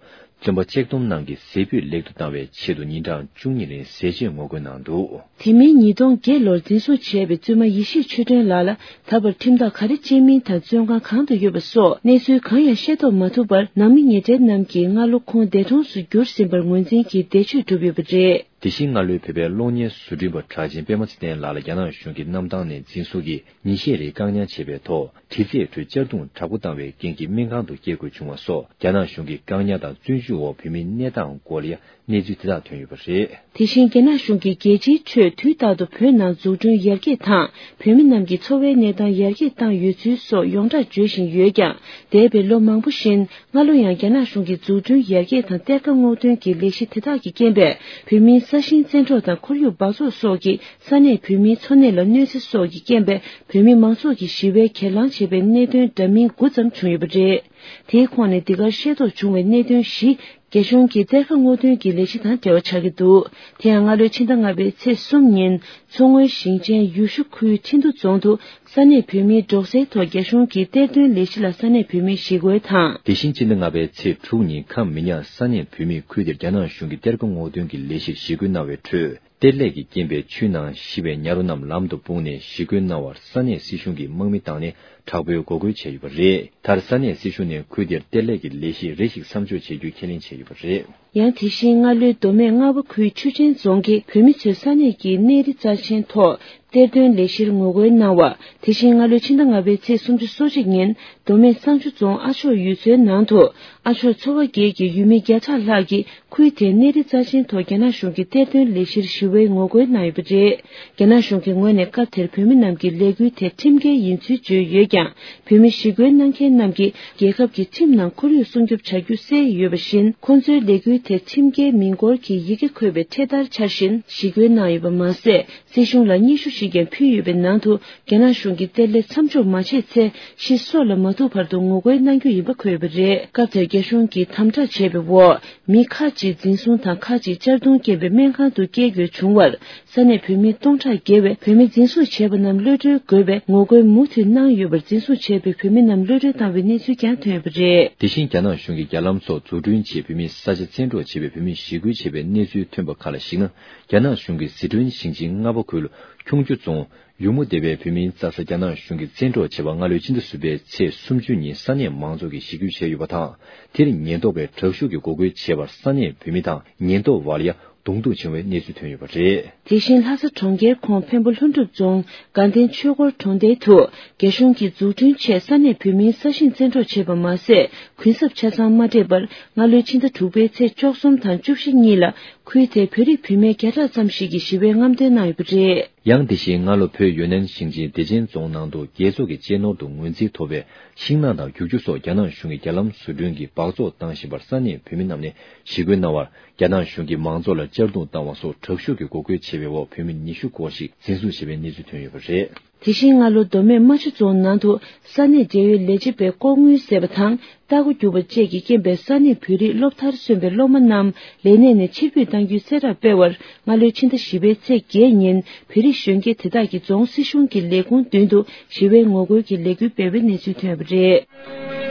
བཙོན་པ་གཅིག་སྡོམ་ནང་གི་ཟས་ཕུད་ལེགས་བསྡུ་བཏང་བའི་ཆེད་དུ་ཉིན་གྲངས་བཅུ་གཉིས་རིང་ཟས་བཅད་ངོ་རྒོལ་གནང་འདུག་དེ་མིན་ཉིས་སྟོང་བརྒྱད་ལོར་འཛིན་བཟུང་བྱས་པའི་བཙུན་མ་ཡེ་ཤེས་ཆོས་སྒྲོན་ལགས་ལ་ད་བར་ཁྲིམས་ཐག་ག་རེ་བཅད་མིན་དང་བཙོན་ཁང་གང་དུ་ཡོད་པ་སོགས་གནས་ཚུལ་གང་ཡང་ཤེས་རྟོགས་མ་ཐུབ་པར་ནང་མི་ཉེ་གྲས་རྣམས་ཀྱིས་སྔ་ལོ་ཁོང་འདས་གྲོངས་སུ་གྱུར་ཟིན་པར་ངོས་འཛིན་གྱིས་འདས་མཆོད་བསྒྲུབས་ཡོད་པ་རེད། དེ་བཞིན་སྔ་ལོའི་བོད་པའི་གློག་བརྙན་བཟོ་སྐྲུན་པ་གྲགས་ཅན་པད་མ་ཚེ་བརྟན་ལགས་ལ་རྒྱ་ནག་གཞུང་གིས་གནམ་ཐང་ནས་འཛིན་བཟུང་གིས་ཉིན་ཤས་རིང་བཀག་ཉར་བྱས་པའི་ཐོག་དྲི་རྩད་ཁྲོད་གཅར་རྡུང་དྲག་པོ་བཏང་བའི་རྐྱེན་གྱིས་སྨན་ཁང་དུ་བསྐྱལ་དགོས་བྱུང་བ་སོགས་རྒྱ་ནག་གཞུང་གི་བཀག་ཉར་དང་བཙོན་འཇུག་འོག་བོད་མིའི་གནས་སྟངས་སྐོར་ལ་ཡང་གནས་ཚུལ་དེ་དག་ཐོན་ཡོད་པ་རེད། དེ་བཞིན་རྒྱ་ནག་གཞུང་གིས་རྒྱལ་སྤྱིའི་ཁྲོད་དུས་རྟག་ཏུ་བོད་ནང་འཛུགས་སྐྲུན་ཡར་རྒྱས་དང་བོད་མི་རྣམས་ཀྱི་འཚོ་བའི་གནས་སྟངས་ཡར་རྒྱས་བཏང་ཡོད་ཚུལ་སོགས་ཡོངས་གྲགས་བརྗོད་བཞིན་ཡོད་ཀྱང་། འདས་པའི་ལོ་མང་པོ་བཞིན་སྔ་ལོ་ཡང་རྒྱ་ནག་གཞུང་གིས་འཛུགས་སྐྲུན་ཡར་རྒྱས་དང་གཏེར་ཁ་སྔོག་འདོན་གྱི་ལས་གཞི་དེ་དག་གི་རྐྱེན་པས་བོད་མིའི་ས་ཞིང་བཙན་འཕྲོག་དང་ཁོར་ཡུག་འབག་བཙོག་སོགས་ཀྱིས་ས་གནས་བོད་མིའི་འཚོ་གནས་ལ་གནོད་འཚེ་སོགས་ཀྱི་རྐྱེན་པས་བོད་མི་མང་ཚོགས་ཀྱིས་ཞི་བའི་གྱེན་ལངས་བྱས་པའི་གནད་དོན་འདྲ་མིན་དགུ་ཙམ་བྱུང་ཡོད་པ་རེད། དེའི་ཁོངས་ནས་འདི་གར་ཤེས་རྟོགས་བྱུང་བའི་གནད་དོན་བཞི། རྒྱ་གཞུང་གིས་གཏེར་ཁ་སྔོག་འདོན་གྱི་ལས་གཞི་དང་འབྲེལ་བ་ཆགས་ཀྱི་འདུག་དེ་ཡང་སྔ་ལོའི་ཕྱི་ཟླ་ལྔ་པའི་ཚེས་གསུམ་ཉིན་མཚོ་སྔོན་ཞིང་ཆེན་ཡུལ་ཤུལ་ཁུལ་ཁྲིན་ཏུ་རྫོང་དུ་ས་གནས་བོད་མིའི་འབྲོག་སའི་ཐོག་རྒྱ་གཞུང་གིས་གཏེར་འདོན་ལས་གཞི་ལ་ས་གནས་བོད་མིས་ཞི་རྒོལ་དང་། དེ་བཞིན་ཕྱི་ཟླ་ལྔ་པའི་ཚེས་དྲུག་ཉིན་ཁམས་མི་ཉག་ས་གནས་བོད་མིས་ཁུལ་དེར་རྒྱ་ནག་གཞུང་གིས་གཏེར་ཁ་སྔོག་འདོན་གྱི་ལས་གཞིར་ཞི་རྒོལ་གནང་བའི་ཁྲོད། གཏེར་ལས་ཀྱི་རྐྱེན་པས་ཆུའི་ནང་ཤི་བའི་ཉ་རོ་རྣམས་ལམ་དུ་སྤུངས་ནས་ཞི་རྒོལ་གནང་བར་ས་གནས་སྲིད་གཞུང་གིས་དམག་མི་བཏང་ནས་དྲག་པོའི་འགོག་རྒོལ་བྱས་ཡོད་པ་རེད། མཐར་ས་གནས་སྲིད་གཞུང་ནས་ཁུལ་དེར་གཏེར་ལས་ཀྱི་ལས་གཞི་རེ་ཞིག་མཚམས་འཇོག་བྱེད་རྒྱུ་ཁས་ལེན་བྱས་ཡོད་པ་རེད། ཡང་དེ་བཞིན་སྔ་ལོའི་མདོ་སྨད་རྔ་བ་ཁུལ་ཆུ་ཆེན་རྫོང་གི་བོད་མི་ཚོས་ས་གནས་ཀྱི་གནས་རི་རྩ་ཆེན་ཐོག་གཏེར་འདོན་ལས་གཞིར་ངོ་རྒོལ་གནང་བ། དེ་བཞིན་སྔ་ལོའི་ཕྱི་ཟླ་ལྔ་པའི་ཚེས་སོ་གཅིག་ཉིན་མདོ་སྨད་བསང་ཆུ་རྫོང་ཨ་མཆོག་ཡུལ་ཚོའི་ནང་དུ་ཨ་མཆོག་ཚོ་བ་བརྒྱད་ཀྱི་ཡུལ་མི་བརྒྱ་ཕྲག་ལྷག་གིས་ཁུལ་དེའི་གནས་རི་རྩ་ཆེན་ཐོག་རྒྱ་ནག་གཞུང་གི་གཏེར་འདོན་ལས་གཞིར་ཞི་བའི་ངོ་རྒོལ་གནང་ཡོད་པ་རེད། རྒྱ་ནག་གཞུང་གི་ངོས་ནས་སྐབས་དེར་བོད་མི་རྣམས་ཀྱི་ལས་འགུལ་དེ་ཁྲིམས་འགལ་ཡིན་ཚུལ་བརྗོད་ཡོད་ཀྱང་། བོད་མི་ཞི་རྒོལ་གནང་མཁན་རྣམས་ཀྱིས་རྒྱལ་ཁབ་ཀྱི་ཁྲིམས་ནང་ཁོར་ཡུག་སྲུང་སྐྱོབ་བྱ་རྒྱུ་གསལ་ཡོད་པ་བཞིན། ཁོང་ཚོའི་ལས་འགུལ་དེ་ཁྲིམས་འགལ་མིན་སྐོར་གྱི་ཡི་གེ་འཁོད་པའི་འཕྲེད་དར་འཕྱར་བཞིན་ཞི་རྒོལ་གནང་ཡོད་པ་མ་ཟད། སྲིད་གཞུང་ལ་སྙན་ཞུ་ཞིག་ཀྱང་ཕུལ་ཡོད་པའི་ནང་དུ། རྒྱ་ནག་གཞུང་གིས་གཏེར་ལས་མཚམས་འཇོག་མ་བྱས་ཚེ། ཤི་སོ་ལ་མ་ཐུག་བར་དུ་ངོ་རྒོལ་གནང་རྒྱུ་ཡིན་པ་འཁོད་ཡོད་པ་རེད། སྐབས་དེར་རྒྱ་གཞུང་གིས་དམ་དྲག་བྱས་པའི་འོག་མི་ཁག་ཅིག་འཛིན་བཟུང་དང་ཁག་ཅིག་གཅར་རྡུང་རྐྱེན་པས་སྨན་ཁང་དུ་བསྐྱལ་དགོས་བྱུང་བར། ས་གནས་བོད་མི་སྟོང་ཕྲག་བརྒལ་བས་བོད་མི་འཛིན་བཟུང་བྱས་པ་རྣམས་གློད་གྲོལ་དགོས་པའི་ངོ་རྒོལ་མུ་མཐུད་གནང་ཡོད་པར། འཛིན་བཟུང་བྱས་པའི་བོད་མི་རྣམས་གློད་གྲོལ་བཏང་བའི་གནས་ཚུལ་ཀྱང་ཐོན་ཡོད་པ་རེད། དེ་བཞིན་རྒྱ་ནག་གཞུང་གིས་རྒྱ་ལམ་སོགས་འཛུགས་སྐྲུན་ཆེད་བོད་མིའི་ས་ཆ་ཚན་ སྤྲོད་བྱས་པའི་བོད་མིས་ཞི་རྒོལ་བྱས་པའི་གནས་ཚུལ་ཐོན་པ་ཁག་ལ་གཞིགས་ན། རྒྱ་ནག་གཞུང་གིས་ཟི་ཁྲོན་ཞིང་ཆེན་རྔ་པ་ཁུལ་ཁྱུང་ཆུ་རྫོང་ཡུ་མུ་སྡེ་བའི་བོད་མིའི་རྩྭ་ས་རྒྱ་ནག་གཞུང་གིས་བཙན་འཕྲོག་བྱས་པ་སྔ་ལོའི་ཕྱི་ཟླ་གསུམ་པའི་ཚེས་སུམ་ཅུ་ཉིན་ས་གནས་མང་ཚོགས་ཀྱིས་ཞི་རྒོལ་བྱས་ཡོད་པ་དང་། དེར་ཉེན་རྟོག་པས་དྲག་ཤུགས་ཀྱིས་འགོག་རྒོལ་བྱས་པར་ས་གནས་བོད་མི་དང་ཉེན་རྟོག་བར་ཡ། གདོང་ཐུག་བྱུང་བའི་གནས་ཚུལ་ཐོན་ཡོད་པ་རེད། དེ་བཞིན་ལྷ་ས་གྲོང་ཁྱེར་ཁོངས་འཕན་པོ་ལྷུན་གྲུབ་རྫོང་དགའ་ལྡན་ཆོས་འཁོར་གྲོང་རྡལ་དུ་རྒྱ་གཞུང་གིས་འཛུགས་སྐྲུན་ཆེད་ས་གནས་བོད་མིའི་ས་ཞིང་བཙན་འཕྲོག་བྱས་པ་མ་ཟད། གུན་གསབ་ཆ་ཚང་མ་སྤྲད་པར་སྔ་ལོའི་ཕྱི་ཟླ་དྲུག་པའི་ཚེས་བཅུ་གསུམ་དང་བཅུ་བཞི་གཉིས་ལ་ཁུལ་དེའི་བོད་རིགས་བུད་མེད་བརྒྱ་ཕྲག་ཙམ་ཞིག་གིས་ཞི་བའི་རྔམ་སྟོན་གནང་ཡོད་པ་རེད། ཡང་དེ་བཞིན་སྔ་ལོ་བོད་ཡུན་ནན་ཞིང་ཆེན་བདེ་ཆེན་རྫོང་ནང་དུ་རྒྱལ་ཚོགས་ཀྱི་གཅེས་ནོར་དུ་ངོས་འཛིན་ཐོབ་པའི་ཤིང་ནགས་དང་རྒྱུག་ཆུ་སོགས་རྒྱ་ནག་གཞུང་གིས་རྒྱ་ལམ་བཟོ་སྐྲུན་གྱི་སྦགས་བཙོག་བཏང་བཞིན་པར་ས་གནས་བོད་མི་རྣམས་ནས་ཞི་རྒོལ་གནང་བར། རྒྱ་ནག་གཞུང་གིས་མང་ཚོགས་ལ་གཅར་རྡུང་བཏང་བ་སོགས་དྲག་ཤུགས་ཀྱིས་འགོག་རྒོལ་བྱས་པའི་འོག་བོད་མི་ཉི་ཤུ་སྐོར་ཞིག་འཛིན་བཟུང་བྱས་པའི་གནས་ཚུལ་ཐོན་ཡོད་པ་རེད། དེ་བཞིན་སྔ་ལོ་མདོ་སྨད་རྨ་ཆུ་རྫོང་ནང་དུ་ས་གནས་འབྲེལ་ཡོད་ལས་བྱེད་པས་ལྐོག་དངུལ་བཟས་པ་དང་ལྟ་སྒོ་བསྒྱུར་བ་བཅས་ཀྱི་རྐྱེན་པས་ས་གནས་བོད་རིགས་སློབ་མཐར་སོན་པའི་སློབ་མ་རྣམས་ལས་གནས་ནས་ཕྱིར་འབུད་གཏང་རྒྱུའི་གསལ་བསྒྲགས་སྤེལ་བར། སྔ་ལོའི་ཕྱི་ཟླ་བཞི་པའི་ཚེས་བརྒྱད་ཉིན་བོད་རིགས་གཞོན་སྐྱེས་དེ་དག་གིས་རྫོང་སྲིད་གཞུང་གི་ལས་ཁུངས་མདུན་དུ་ཞི་བའི་ངོ་རྒོལ་གྱི་ལས་འགུལ་སྤེལ་བའི་གནས་ཚུལ་ཐོན་པ་རེད།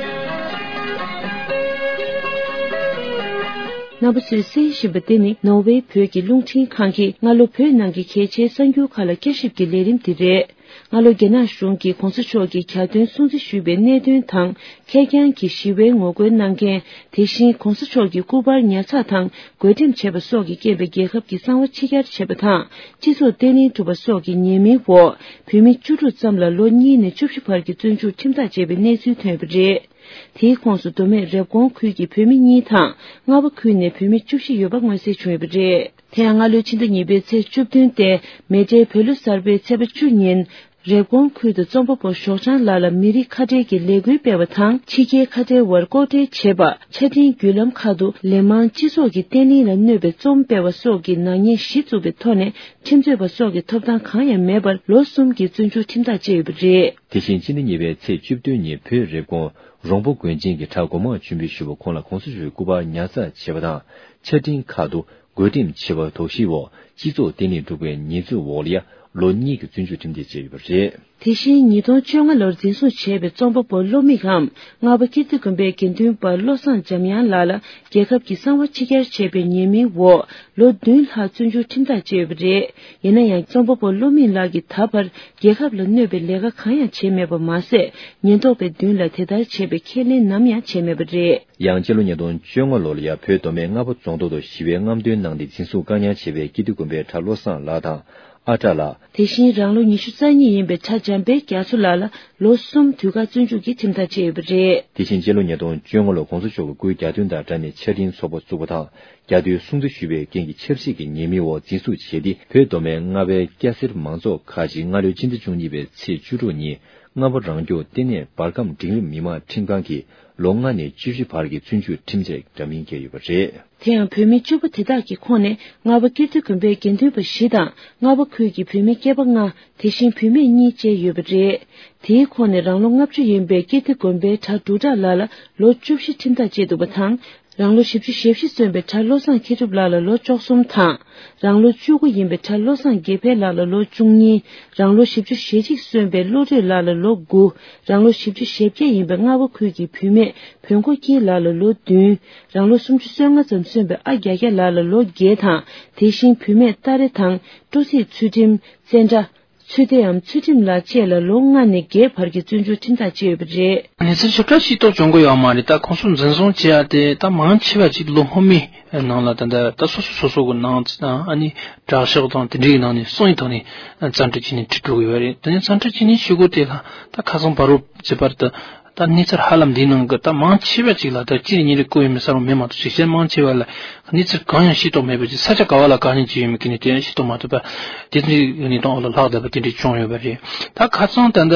རྣམ་པ་ཚོས་གསན་བཞིན་པ་འདི་ནི་ནོར་ཝེ་བོད་ཀྱི་རླུང་འཕྲིན་ཁང་གིས་སྔ་ལོ་བོད་ནང་གི་གལ་ཆེའི་གསར་འགྱུར་ཁག་ལ་བསྐྱར་ཞིབ་ཀྱི་ལས་རིམ་འདི་རེད། སྔ་ལོ་རྒྱ་ནག་གཞུང་གིས་གོང་ས་མཆོག་གི་གྱ་སྟོན་སྲུང་བརྩི་ཞུས་པའི་གནད་དོན་དང་ཁེར་རྐྱང་གི་ཞི་བའི་ངོ་རྒོལ་གནང་མཁན། དེ་བཞིན་གོང་ས་མཆོག་གི་སྐུ་པར་ཉར་ཚགས་དང་། བགོ་འགྲེམས་བྱས་པ་སོགས་ཀྱི་རྐྱེན་པས་རྒྱལ་ཁབ་ཀྱི་གསང་བ་ཕྱི་གྱར་བྱས་པ་དང་། སྤྱི་ཚོགས་བརྟན་ལྷིང་གྲུབ་པ་སོགས་ཀྱི་ཉེས་མིང་འོག་བོད་མི་བཅུ་དྲུག་ཙམ་ལ་ལོ་གཉིས་ནས་བཅུ་བཞི་བར་གྱི་བཙོན་འཇུག་ཁྲིམས་ཐག་བཅད་པའི་གནས་ཚུལ་ཐོན་ཡོད་པ་རེད། དེའི་ཁོངས་སུ་མདོ་སྨད་རེབ་གོང་ཁུལ་གྱི་བོད་མི་གཉིས་དང་རྔ་པ་ཁུལ་ནས་བོད་མི་བཅུ་བཞི་ཡོད་པ་མངོན་གསལ་བྱུང་ཡོད་པ་རེད། དེ་ཡང་སྔ་ལོའི་ཕྱི་ཟླ་གཉིས་པའི་ཚེས་བཅུ་བདུན་སྟེ་མེ་ཌེ་བོད་ལོ་གསར་པའི་ཚེས་པ་བཅུ་ཉིན། རེབ་གོང་ཁུལ་དུ་རྩོམ་པ་པོ་ཞོགས་ལྗང་ལགས་ལ་མི་རིགས་ཁ་བྲལ་གྱི་ལས་འགུལ་སྤེལ་བ་དང་། ཕྱི་རྒྱལ་ཁ་བྲལ་བར་ལྐོག་འབྲེལ་བྱས་པ། ཆ་འཕྲིན་བརྒྱུད་ལམ་ཁག་ཏུ་ལས་མང་སྤྱི་ཚོགས་ཀྱི་བརྟན་ལྷིང་ལ་གནོད་པའི་རྩོམ་སྤེལ་བ་སོགས་ཀྱི་ནག་ཉེས་གཞི་བཙུགས་པའི་ཐོག་ནས་ཁྲིམས་རྩོད་པ་སོགས་ཀྱི་ཐོབ་ཐང་གང་ཡང་མེད་པར་ལོ་གསུམ་གྱི་བཙོན་འཇུག་ཁྲིམས་ཐག་བཅད་ཡོད་པ་རེད། དེ་བཞིན་ཕྱི་ཟླ་གཉིས་པའི་ཚེས་བཅུ་བདུན་ཉིན་བོད་རེབ་གོང་རོང་པོ་དགོན་ཆེན་གྱི་གྲྭ་སྒོ་མང་མཆོད་འབུལ་ཞུ་བ་ཁོང་ལ་གོང་ས་མཆོག་གི་སྐུ་པར་ཉར་ཚགས་བྱས་པ་དང་། ཆ་འཕྲིན་ཁག་ཏུ། བགོ་འགྲེམས་བྱས་པ་དོགས་གཞིའི་འོག་སྤྱི་ཚོགས་བརྟན་ལྷིང་སྒྲུབ་པའི་ཉེས་འཛུགས་འོག་ལ་ཡ་ལོ་གཉིས་ཀྱི་བཙོན་འཇུག་ཁྲིམས་ཐག་བཅད་ཡོད་པ་རེད། དེ་བཞིན་ཉིས་སྟོང་བཅོ་ལྔ་ལོར་འཛིན་བཟུང་བྱས་པའི་རྩོམ་པ་པོ་བློ་མིག་གམ་རྔ་པ་ཀིརྟི་དགོན་པའི་དགེ་འདུན་པ་བློ་བཟང་འཇམ་དབྱངས་ལགས་ལ་རྒྱལ་ཁབ་ཀྱི་གསང་བ་ཕྱི་གྱར་བྱས་པའི་ཉེས་མིང་འོག་ལོ་བདུན་ལྷག་བཙོན་འཇུག་ཁྲིམས་ཐག་བཅད་ཡོད་པ་རེད། ཡིན་ན་ཡང་རྩོམ་པ་པོ་བློ་མིག་ལགས་ཀྱིས་ད་བར་རྒྱལ་ཁབ་ལ་གནོད་པའི་ལས་ཀ་གང་ཡང་བྱས་མེད་པ་མ་ཟད། ཉེན་རྟོག་པའི་མདུན་ལ་དེ་ལྟར་བྱས་པའི་ཁས་ལེན་ནམ་ཡང་བྱས་མེད་པ་རེད། ཡང་སྤྱི་ལོ་ཉིས་སྟོང་བཅོ་ལྔ་ལོ་ལ་ཡ་བོད་མདོ་སྨད་རྔ་པ་རྫོང་ཐོག་ཏུ་ཞི་བའི་རྔམ་སྟོན་གནང་སྟེ་འཛིན་བཟུང་བཀག་ཉར་བྱས་པའི་ཀིརྟི་དགོན་པའི་གྲྭ་བློ་བཟང་ལགས་དང་ཨ་བྲ་ལགས། དེ་བཞིན་རང་ལོ་ཉི་ཤུ་རྩ་གཉིས་ཡིན་པའི་གྲྭ་འཇམ་དཔལ་རྒྱ་མཚོ་ལགས་ལ་ལོ་གསུམ་དུས་བཀག་བཙོན་འཇུག་གི་ཁྲིམས་ཐག་བཅད་ཡོད་པ་རེད། དེ་བཞིན་སྤྱི་ལོ་ཉིས་སྟོང་བཅོ་ལྔ་ལོར་གོང་ས་མཆོག་གི་སྐུའི་གྱ་སྟོན་དང་འབྲེལ་ནས་ཆ་འཕྲིན་ཚོགས་པ་བཙུགས་པ་དང་། གྱ་སྟོན་སྲུང་བརྩི་ཞུས་པའི་རྐྱེན་གྱིས་ཆབ་སྲིད་ཀྱི་ཉེས་མིང་འོག་འཛིན་བཟུང་བྱས་ཏེ། བོད་མདོ་སྨད་རྔ་པའི་སྐྱ་སེར་མང་ཚོགས་ཁག་ཅིག་སྔ་ལོའི་ཕྱི་ཟླ་བཅུ་གཉིས་པའི་ཚེས་བཅུ་དྲུག་ཉིན། རྔ་པ་རང་སྐྱོང་ལྟེ་གནས་འབར་ཁམས་འབྲིང་རིམ་མི་དམངས་ཁྲིམས་ཁང་གིས་ལོ་ལྔ་ནས་བཅུ་བཞི་བར་གྱི་བཙོན་འཇུག་ཁྲིམས་ཆད་འདྲ་མིན་བཀལ་ཡོད་པ་རེད། དེ་ཡང་བོད་མི་བཅུ་པོ་དེ་དག་གི་ཁོངས་ནས་རྔ་པ་ཀིརྟི་དགོན་པའི་དགེ་འདུན་པ་བཞི་དང་རྔ་པ་ཁུལ་གྱི་བུད་མེད་སྐྱེས་པ་ལྔ། དེ་བཞིན་བུད་མེད་གཉིས་བཅས་ཡོད་པ་རེད། དེའི་ཁོངས་ནས་རང་ལོ་ལྔ་བཅུ་ཡིན་པའི་ཀིརྟི་དགོན་པའི་གྲྭ་འབྲུག་གྲགས་ལགས་ལ་ལོ་བཅུ་བཞི་ཁྲིམས་ཐག་བཅད་འདུག་པ་དང་། རང་ལོ་བཞི་བཅུ་ཞེ་བཞི་སོན་པའི་གྲྭ་བློ་བཟང་མཁས་གྲུབ་ལགས་ལ་ལོ་བཅུ་གསུམ་དང་། རང་ལོ་བཅུ་དགུ་ཡིན་པའི་གྲྭ་བློ་བཟང་དགེ་འཕེལ་ལགས་ལ་ལོ་བཅུ་གཉིས། རང་ལོ་བཞི་བཅུ་ཞེ་གཅིག་སོན་པའི་བློ་གྲོས་ལགས་ལ་ལོ་དགུ། རང་ལོ་བཞི་བཅུ་ཞེ་བརྒྱད་ཡིན་པའི་རྔ་བ་ཁུལ་གྱི་བུད་མེད་བོན་ཁོ་སྐྱིད་ལགས་ལ་ལོ་བདུན། རང་ལོ་སུམ་ཅུ་སོ་ལྔ་ཙམ་སོན་པའི་ཨ་རྒྱ་རྒྱ་ལགས་ལ་ལོ་བརྒྱད་དང་། དེ་བཞིན་བུད་མེད་སྟ་རེ་དང་སྤྲོ་ཚིགས་ཚུལ་ཁྲིམས། བཙན་དགྲ། ཚུལ་ཏེའམ་ཚུལ་ཁྲིམས་ལགས་བཅས་ལ་ལོ་ལྔ་ནས་བརྒྱད་བར་གྱི་བཙོན་འཇུག་ཁྲིམས་ཐག་བཅད་ཡོད་པ་རེད། གནས་ཚུལ་ཞིབ་ཕྲ་ཤེས་རྟོགས་བྱུང་གི་ཡོད་མ་རེད། ད་ཁོང་ཚོ་འཛིན་བཟུང་བྱས་ཡ་དེ་ད་མང་ཆེ་བ་ཅིག་ལོ་སྔོན་མའི་ནང་ལ་ད་ད་ད་སོ་སོ་སོ་སོ་གི་ནང་ཨ་ནི་དྲག་ཤོག་དང་དེ་འདྲའི་ནང་ནས་གསང་བའི་ཐོག་ནས་བཙན་ཁྲིད་བྱས་ནས་ཁྲིད་འགྲོ་གི་ཡོད་རེད། དེ་ནས་བཙན་ཁྲིད་བྱས་ནས་ཤི་གོ་དེ་ལ་ད་ཁ་སང་བར་དུ་བྱས་པར་ད། ད་གནས་ཚུལ་ཧ་ལམ་འདིའི་ནང་གི་ད་མང་ཆེ་བ་ཅིག་ལ་ད་གཅིག་རེ་གཉིས་རེ་བཀོད་ཡོད་མེད་གསལ་པོ་མེད་མ་གཏོགས་ཅིག་གཞན་མང་ཆེ་བ་ལ་གནས་ཚུལ་གང་ཡང་ཤེས་རྟོགས་མེད་པ་ཅིག་ས་ཆ་ག་བ་ལ་ག་ནས་ཅིག་ཡོད་མེད་ཀྱི་ནས་དེ་ཡང་ཤེས་རྟོགས་མ་ཐུབ་པ་དེ་འདྲའི་གནས་སྟངས་འོག་ལ་ལྷག་བསྡད་པ་དེ་འདྲའི་བྱུང་ཡོད་པ་རེད། ད་ཁ་སང་ད་ལྟ་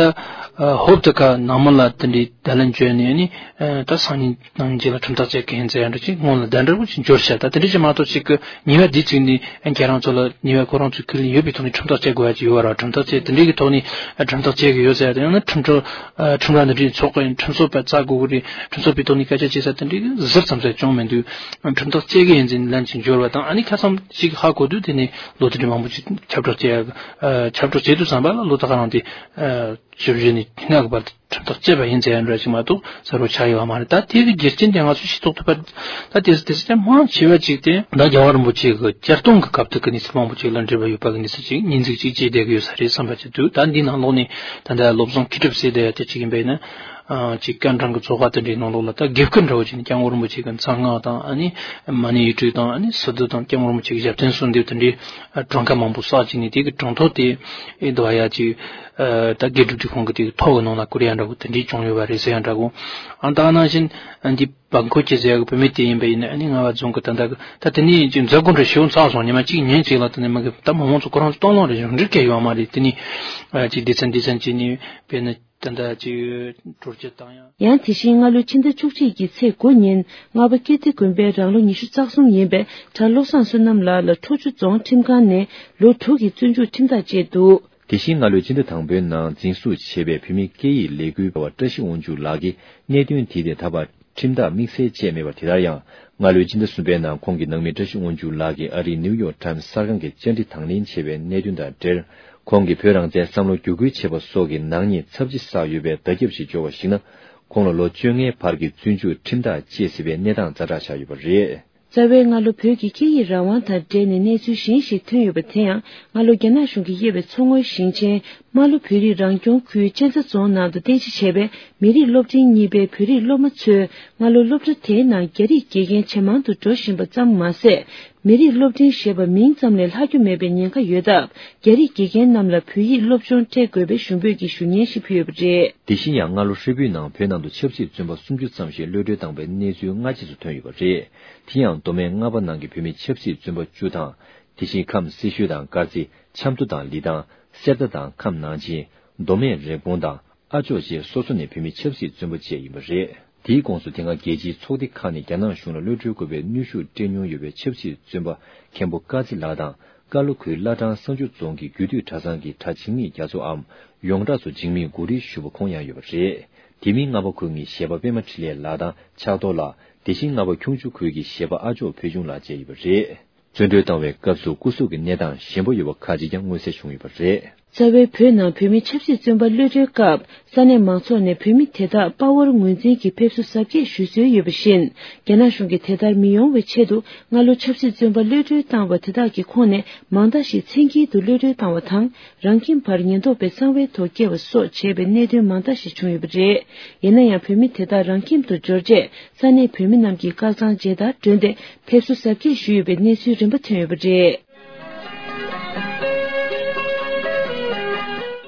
ཧོབ་ཏེ་ཁ་ནང་མི་ལ་དེ་འདྲའི་བརྡ་ལན་བྱོན་ནས་ནི་ད་སང་ཉིན་ནང་ཉིན་ཅིག་ལ་ཁྲིམས་ཐག་བཅད་ཀྱི་ཡིན་ཟེར་ཡ་འདྲ་ཅིག་སྔོན་ལ་བརྡ་འདྲ་པོ་ཅིག་འབྱོར་ཤག་ད་དེ་འདྲ་ཅིག་མ་གཏོགས་ཅིག་གི་ཉེས་པ་འདི་བཙུགས་ནས་ཁྱེད་རང་ཚོ་ལ་ཉེས་པ་ཁོ་རང་ཚོའི་ཁས་ལེན་ཡོད་པའི་ཐོག་ནས་ཁྲིམས་ཐག་བཅད་དགོས་ཡ་ཅིག་ཡོད་པ་རེད། ཁྲིམས་ཐག་བཅད་དེ་འདྲའི་གི་ཐོག་ནས་ཁྲིམས་ཐག་བཅད་གི་ཡོད་ཟེར་ཡ་དེ་ཡང་ན་ཁྲིམས་ཁྲིམས་ར་འདི་འདྲའི་ཚོགས་གི་ཁྲིམས་རྩོད་པ་བཙལ་དགོས་གི་རེད། ཁྲིམས་རྩོད་པའི་ཐོག་ནས་སྐད་ཆ་བྱེད་ས་དེ་འདྲའི་གི་ཟུར་ཙམ་ཟེར་བྱུང་མི་འདུག་ཁྲིམས་ཐག་བཅད་གི་ཡིན་ཟེར་ནས་ལན་ཅིག་འབྱོར་བ་དང་ཨ་ནི་ཁ་སང་ཅིག་ཧ་གོ་དུས་དེ་ནས་ལོ་དེ་འདྲའི་མང་པོ་ཅིག་ཁྱབ་བསྒྲགས་བྱེད་ཡ་ཁྱབ་བསྒྲགས་བྱེད་དུས་ཙམ་པ་ལ་ལོ་ད་ག་རང་དེ། བཞི་བཅུ་ནས་ལྔ་གི་བར་དུ་ཁྲིམས་ཐག་བཅད་པ་ཡིན་ཟེར་ཡ་འདྲ་ཞིག་མ་གཏོགས་གསལ་པོ་ཆགས་ཡོད་པ་མ་རེད། ད་དེ་གི་རྒྱུ་རྐྱེན་དེ་ང་ཚོས་ཤེས་རྟོགས་ཐུབ་པ། ད་དེ་དེ་ཚོ་མང་ཆེ་བ་ཅིག་དེ་ད་རྒྱལ་བ་རིན་པོ་ཆེ་གི་བསྐྱར་གཏོང་གི་སྐབས་དེ་གི་གནས་ཚུལ་མང་པོ་ཅིག་ལ་འབྲེལ་བ་ཡོད་པ་གི་གནས་ཚུལ་ཅིག་སྙན་ཚིག་ཅིག་བརྗོད་བསྡད་གི་ཡོད་ས་རེད་བསམ་པ་ཅིག་འདུག་ད་འདི་ནང་ལོགས་ནས་ད་ལྟ་བློ་བཟང་མཁས་གྲུབ་ཟེར་བསྡད་ཡ་དེ་ཅིག་ཡིན་པ་ཡིན་ན། ཅིག་སྐར་གྲངས་ཀྱི་ཚོགས་པ་དེ་འདྲའི་ནང་ལོགས་ལ་ད་དགེ་བསྐོས་འདྲ་བོ་ཅིག་ནས་སྐྱབས་མགོན་རིན་པོ་ཆེ་གི་མཚན་སྔགས་དང་ཨ་ནི་མ་ཎི་ཡིག་དྲུག་དང་ཨ་ནི་སི་ཏུ་དང་སྐྱབས་མགོན་རིན་པོ་ཆེ་གི་ཞབས་བརྟན་གསོལ་འདེབས་དེ་འདྲའི་གྲངས་ཀ་མང་པོ་བསགས་ཅིག་ནས་དེ་གི་གྲངས་ཐོ་དེ་ཨེ་འདུག་ཡ་ཅིག་ད་དགེ་སྒྲུབ་ཀྱི་ཁོང་གི་དེ་གི་ཐོ་གི་ནང་ལ་བཀོད་ཡ་འདྲ་བོ་དེ་འདྲའི་བྱུང་ཡོད་པ་རེད་ཟེར་ཡ་འདྲ་བོ། ཨ་ད་ནང་བཞིན་འདི་བང་ཁོ་ཁྱེད་ཟེར་ཡ་གི་བུད་མེད་དེ་ཡིན་པ་ཡིན་ན་ཨ་ནི་རྔ་བ་རྫོང་གི་ད་ད་གི་ད་དེ་ནས་ཅིག་མཛད་སྒོ་འདྲ་ཞིག་ཚར་སོང་། ཉི་མ་གཅིག་ཉིན་གཅིག་ལ་ད་ནས་མ་གི་ད་མི་མང་ཚོ་ཁོ་རང་ཚོ་སྟོང་ལོང་རེད། གཞུང་འབྲེལ་གལ་ཡོད་མ་རེད། དེ་ནས་ཅིག་སྡེ་ཚན་སྡེ་ཚན་ཅིག་ནས་དཔེར་ན། ད་ལྟ་ཅིག་གྲོས་ཆོད་བཏང་ཡང་། ཡང་དེ་བཞིན་སྔ་ལོའི་ཕྱི་ཟླ་བཅུ་གཅིག་གི་ཚེས་དགུ་ཉིན་རྔ་པ་ཀིརྟི་དགོན་པའི་རང་ལོ་ཉི་ཤུ་རྩ་གསུམ་ཡིན་པའི་གྲྭ་བློ་བཟང་བསོད་ནམས་ལགས་ལ་ཁྲོ་ཆུ་རྫོང་ཁྲིམས་ཁང་ནས་ལོ་དྲུག་གི་བཙོན་འཇུག་ཁྲིམས་ཐག་བཅད་འདུག་དེ་བཞིན་སྔ་ལོའི་ཕྱི་ཟླ་དང་པོའི་ནང་འཛིན་བཟུང་བྱས་པའི་བོད་མིའི་སྐད་ཡིག་ལས་འགུལ་བ་བཀྲ་ཤིས་དབང་ཕྱུག་ལགས་ཀྱི་གནད་དོན་དེ་དེ་ད་བར་ཁྲིམས་ཐག་དམིགས་བསལ་བཅད་མེད་པ། དེ་ལྟར་ཡང་སྔ་ལོའི་ཕྱི་ཟླ་གསུམ་པའི་ནང་ཁོང་གི་ནང་མི་བཀྲ་ཤིས་དབང་ཕྱུག་ལགས་ཀྱིས་ཨ་རིའི་ནིའུ་ཡོག་ཊའིམ་སི་གསར་ཁང་གི་བཅར་འདྲི་དང་ལེན་བྱས་པའི་གནད་དོན་དང་འབྲེལ། ཁོང་གིས་བོད་རང་བཙན་བསམ་བློ་བསྒྱུར་བཀོད་བྱས་པ་སོགས་ཀྱི་ནག་ཉེས་ཚབས་ཆེ་བསགས་ཡོད་པའི་བརྡ་ཁྱབ་ཞིག་འབྱོར་བར་གཞིགས་ན། ཁོང་ལ་ལོ་བཅོ་ལྔའི་བར་གྱི་བཙོན་འཇུག་ཁྲིམས་ཐག་བཅད་སྲིད་པའི་གནས་སྟངས་ཛ་དྲག་ཆགས་ཡོད་པ་རེད། རྩ་བའི་སྔ་ལོ་བོད་ཀྱི་སྐད་ཡིག་རང་དབང་དང་འབྲེལ་ནས་གནས་ཚུལ་གཞན་ཞིག་ཐོན་ཡོད་པ་དེ་ཡང་། སྔ་ལོ་རྒྱ་ནག་གཞུང་གིས་དབྱེ་བའི་མཚོ་སྔོན་ཞིང་ཆེན་རྨ་ལྷོ་བོད་རིགས་རང་སྐྱོང་ཁུལ་གཅན་ཚ་རྫོང་ནང་དུ་རྟེན་གཞི་བྱས་པའི་མི་རིགས་སློབ་འབྲིང་གཉིས་པའི་བོད་རིགས་སློབ་མ་ཚོས་སྔ་ལོ་སློབ་གྲྭ་དེའི་ནང་རྒྱ་རིགས་དགེ་རྒན་ཇེ་མང་དུ་འགྲོ་བཞིན་པ་ཙམ་མ་ཟད། མི་རིགས་སློབ་འབྲིང་ཞེས་པ་མིང་ཙམ་ལས་ལྷག་རྒྱུ་མེད་པའི་ཉེན་ཁ་ཡོད་སྟབས། རྒྱ་རིགས་དགེ་རྒན་རྣམས་ལ་བོད་ཡིག་སློབ་སྦྱོང་སྤྲད་དགོས་པའི་ཞུ་འབོད་ཀྱི་ཞུ་སྙན་ཞིག་ཕུལ་ཡོད་པ་རེད། དེ་བཞིན་ཡང་སྔ་ལོ་ཧྲིལ་པོའི་ནང་བོད་ནང་དུ་ཆབ་སྲིད་བཙོན་པ་སུམ་ཅུ་ཙམ་ཞིག་གློད་གྲོལ་བཏང་པའི་གནས་ཚུལ་སྔ་རྗེས་སུ་ཐོན་ཡོད་པ་རེད། དེ་ཡང་མདོ་སྨད་རྔ་པ་ནང་གི་བོད་མི་ཆབ་སྲིད་བཙོན་པ་བཅུ་དང་། དེ་བཞིན་ཁམས་སེར་ཤུལ་དང་དཀར་རྩེ། ཆབ་མདོ་དང་ལི་ཐང་། གསེར་རྟ་དང་ཁམས་ནང་ཆེན། མདོ་སྨད་རེབ་གོང་དང་། ཨ་ཅོག་བཅས་སོ་སོ་ནས་བོད་མི་ཆབ་སྲིད་བཙོན་པ་བཅས་ཡིན་པ་རེད། དེའི་ཁོངས་སུ་དེ་སྔ་རྒྱལ་སྤྱིའི་ཚོགས་སྡེ་ཁག་ནས་རྒྱ་ནག་གཞུང་ལ་གློད་གྲོལ་དགོས་པའི་གནོན་ཤུགས་སྤྲད་མྱོང་ཡོད་པའི་ཆབ་སྲིད་བཙོན་པ་མཁན་པོ་ཀ་ཙི་ལགས་དང་། ཀ་ལོ་ཁུལ་བླ་བྲང་གསང་ཆུ་རྫོང་གི་རྒྱུད་སྟོད་གྲྭ་ཚང་གི་གྲྭ་འཇིགས་མེད་རྒྱ་མཚོའམ་ཡོངས་གྲགས་སུ་འཇིགས་མེད་གུ་རུའི་ཞུ་བ་ཁོང་ཡང་ཡོད་པ་རེད། དེ་མིན་རྔ་པ་ཁུལ་གཉིས་གཞས་པ་པད་མ་འཕྲིན་ལས་ལགས་དང་ཕྱག་རྡོར་ལགས། དེ་བཞིན་རྔ་པ་ཁྱུང་མཆུ་ཁུལ་གྱི་གཞས་པ་ཨ་ཅོག་བོད་ཆུང་ལགས་བཅས་ཡོད་པ་རེད། བཙོན་གྲོལ་བཏང་བའི་སྐབས་སུ་སྐུ་གཟུགས་ཀྱི་གནས་སྟངས་ཞན་པོ་ཡོད་པ་ཁག་ཅིག་ཀྱང་མངོན་གསལ་བྱུང་ཡོད་པ་རེད། རྩ་བའི་བོད་ནང་བོད་མི་ཆབ་སྲིད་བཙོན་པ་གློད་གྲོལ་སྐབས། ས་གནས་མང་ཚོགས་ནས་བོད་མི་དེ་དག་དཔའ་བོར་ངོས་འཛིན་གྱིས་ཕེབས་བསུ་གཟབ་རྒྱས་ཞུ་སྲོལ་ཡོད་པ་བཞིན། རྒྱ་ནག་གཞུང་གིས་དེ་ལྟར་མི་ཡོང་བའི་ཆེད་དུ། སྔ་ལོ་ཆབ་སྲིད་བཙོན་པ་གློད་གྲོལ་བཏང་བ་དེ་དག་གི་ཁོངས་ནས་མང་དག་ཞིག་མཚན་འཁྱེར་དུ་གློད་གྲོལ་བཏང་བ་དང་། རང་ཁྱིམ་བར་ཉེན་རྟོག་པས་གསང་བའི་ཐོག་བསྐྱལ་བ་སོགས་བྱས་པའི་གནད་དོན་མང་དག་ཞིག་བྱུང་ཡོད་པ་རེད། ཡིན་ན་ཡང་། བོད་མི་དེ་དག་རང་ཁྱིམ་དུ་འབྱོར་རྗེས། ས་གནས་བོད་མི་རྣམས་ཀྱིས་བཀའ་ཚང་མཇལ་དར་བསྒྲོན་ཏེ། ཕེབས་བསུ་གཟབ་རྒྱས་ཞུས་ཡོད་པའི་གནས་ཚུལ་རིམ་པ་ཐོན་ཡོད་པ་རེད།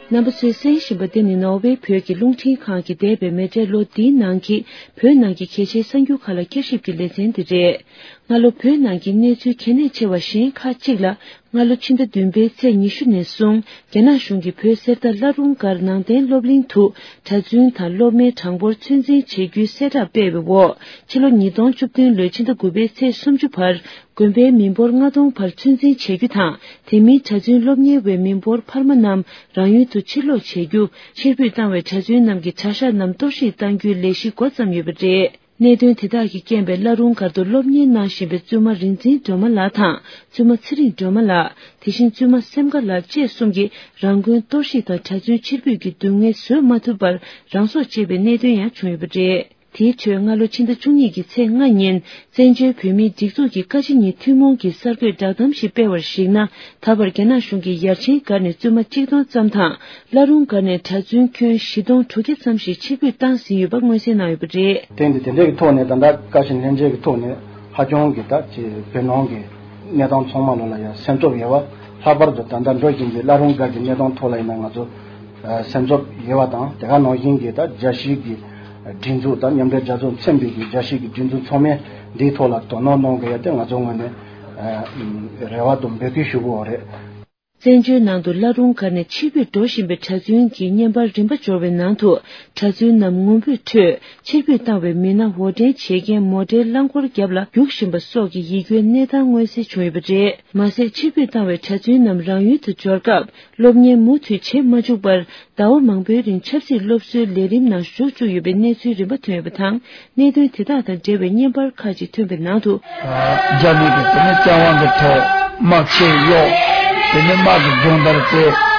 རྣམ་པ་ཚོས་གསན་བཞིན་པ་འདི་ནི་ནོར་ཝེ་བོད་ཀྱི་རླུང་འཕྲིན་ཁང་གིས་འདས་པའི་མེ་འབྲེལ་ལོ་འདིའི་ནང་གི་བོད་ནང་གི་གལ་ཆེའི་གསར་འགྱུར་ཁག་ལ་བསྐྱར་ཞིབ་ཀྱི་ལེ་ཚན་འདི་རེད། སྔ་ལོ་བོད་ནང་གི་གནས་ཚུལ་གལ་གནད་ཆེ་བ་གཞན་ཁག་ཅིག་ལ། སྔ་ལོ་ཕྱི་ཟླ་བདུན་པའི་ཚེས་ཉི་ཤུ་ནས་བཟུང་རྒྱ་ནག་གཞུང་གིས་བོད་གསེར་རྟ་བླ་རུང་སྒར་ནང་བསྟན་སློབ་གླིང་དུ་གྲྭ་བཙུན་དང་སློབ་མའི་གྲངས་འབོར་ཚོད་འཛིན་བྱེད་རྒྱུའི་གསལ་བསྒྲགས་སྤེལ་བའི་འོག་ཕྱི་ལོ་ཉིས་སྟོང་བཅུ་བདུན་ལོའི་ཕྱི་ཟླ་དགུ་པའི་ཚེས་སུམ་ཅུ་བར་དགོན་པའི་མི་འབོར་ལྔ་སྟོང་བར་ཚོད་འཛིན་བྱེད་རྒྱུ་དང་། དེ་མིན་གྲྭ་བཙུན་སློབ་གཉེར་བའི་མི་འབོར་འཕར་མ་རྣམས་རང་ཡུལ་དུ་ཕྱིར་ལོག་བྱེད་རྒྱུ། ཕྱིར་འབུད་བཏང་བའི་གྲྭ་བཙུན་རྣམས་ཀྱི་གྲྭ་ཤག་རྣམས་གཏོར་བཤིག་གཏང་རྒྱུའི་ལས་གཞི་འགོ་བརྩམས་ཡོད་པ་རེད། གནད་དོན་དེ་དག་གིས་རྐྱེན་པས་བླ་རུང་སྒར་དུ་སློབ་གཉེར་གནང་བཞིན་པའི་བཙུན་མ་རིག་འཛིན་སྒྲོལ་མ་ལགས་དང་བཙུན་མ་ཚེ་རིང་སྒྲོལ་མ་ལགས། དེ་བཞིན་བཙུན་མ་སེམས་དགའ་ལགས་བཅས་གསུམ་གྱིས་རང་དགོན་གཏོར་བཤིག་དང་གྲྭ་བཙུན་ཕྱིར་འབུད་ཀྱི་སྡུག་བསྔལ་བཟོད་མ་ཐུབ་པར་རང་སྲོག་བཅད་པའི་གནད་དོན་ཡང་བྱུང་ཡོད་པ་རེད། དེའི་ཁྲོད་སྔ་ལོ་ཕྱི་ཟླ་བཅུ་གཉིས་ཀྱི་ཚེས་ལྔ་ཉིན་བཙན་བྱོལ་བོད་མིའི་སྒྲིག་འཛུགས་ཀྱི་བཀའ་སྤྱི་གཉིས་ཐུན་མོང་གི་གསར་འགོད་བསྒྲགས་གཏམ་ཞིག་སྤེལ་བར་གཞིགས་ན། ད་བར་རྒྱ་ནག་གཞུང་གིས་ཡར་ཆེན་སྒར་ནས་བཙུན་མ་གཅིག་སྟོང་ཙམ་དང་། བླ་རུང་སྒར་ནས་གྲྭ་བཙུན་ཁྱོན་བཞི་སྟོང་དྲུག་བརྒྱ་ཙམ་ཞིག་ཕྱིར་འབུད་བཏང་ཟིན་ཡོད་པ་མངོན་གསལ་གནང་ཡོད་པ་རེད། དེ་འདི་དེ་འདྲའི་གི་ཐོག་ནས་ད་ལྟ་བཀའ་བཞིན་ལྷན་རྒྱས་ཀྱི་ཐོག་ནས་ཧ་ཅང་གི་ད་ཅེ་བོད་ནང་གི་གནས་སྟངས་ཚང་མ་ལོ་ལ་ཡང་སེམས་ཚོར་ཡོད་པ། ལྷག་པར་དུ་ད་ལྟ་འགྲོ་བཞིན་པའི་བླ་རུང་སྒར་གྱི་གནས་སྟངས་ཐོག་ལ་ཡིན་ན་ང་ཚོ་སེམས་ཚོར་ཡོད་པ་དང་། དེ་ག་ནང་བཞིན་གྱི་ད་རྒྱལ་སྤྱིའི་གི་སྒྲིག་འཛུགས་དང་མཉམ་འབྲེལ་རྒྱལ་ཚོགས་མཚན་པའི་གི་རྒྱལ་སྤྱིའི་གི་སྒྲིག་འཛུགས་ཚང་མས་འདིའི་ཐོག་ལ་དོ་སྣང་གནང་དགོས་ཡ་དེ་ང་ཚོའི་ངོས་ནས་རེ་བ་དང་འབོད་སྐུལ་ཞུ་དགོས་པ་རེད། བཙན་བྱོལ་ནང་དུ་བླ་རུང་སྒར་ནས་ཕྱིར་འབུད་འགྲོ་བཞིན་པའི་གྲྭ་བཙུན་གྱི་བརྙན་པར་རིམ་པ་འབྱོར་བའི་ནང་དུ། གྲྭ་བཙུན་རྣམས་ངུ་འབོད་ཁྲོད་ཕྱིར་འབུད་བཏང་བའི་མི་སྣ་དབོར་འདྲེན་བྱེད་མཁན་མོ་ཊའི་རླངས་འཁོར་རྒྱབ་ལ་རྒྱུག་བཞིན་པ་སོགས་ཀྱི་ཡིད་སྐྱོའི་གནས་སྟངས་མངོན་གསལ་བྱུང་ཡོད་པ་རེད། མ་ཟད། ཕྱིར་འབུད་བཏང་བའི་གྲྭ་བཙུན་རྣམས་རང་ཡུལ་དུ་འབྱོར་སྐབས། སློབ་གཉེར་མུ་མཐུད་བྱེད་མ་བཅུག་པར། ཟླ་བ་མང་པོའི་རིང་ཆབ་སྲིད་སློབ་གསོའི་ལས་རིམ་ནང་ཞུགས་བཅུག་ཡོད་པའི་གནས་ཚུལ་རིམ་པ་ཐོན་ཡོད་པ་དང་། གནད་དོན་དེ་དག་དང་འབྲེལ་བའི་བརྙན་པར་ཁག་ཅིག་ཐོན་པའི་ནང་དུ། རྒྱ་མི་གིས་དེ་ནས་བཙན་དབང་གི་ཐོག་དམག་ཆས་གཡོགས། དེ་ནས་དམག་གི་སྦྱོང་བརྡར་སྤྲད།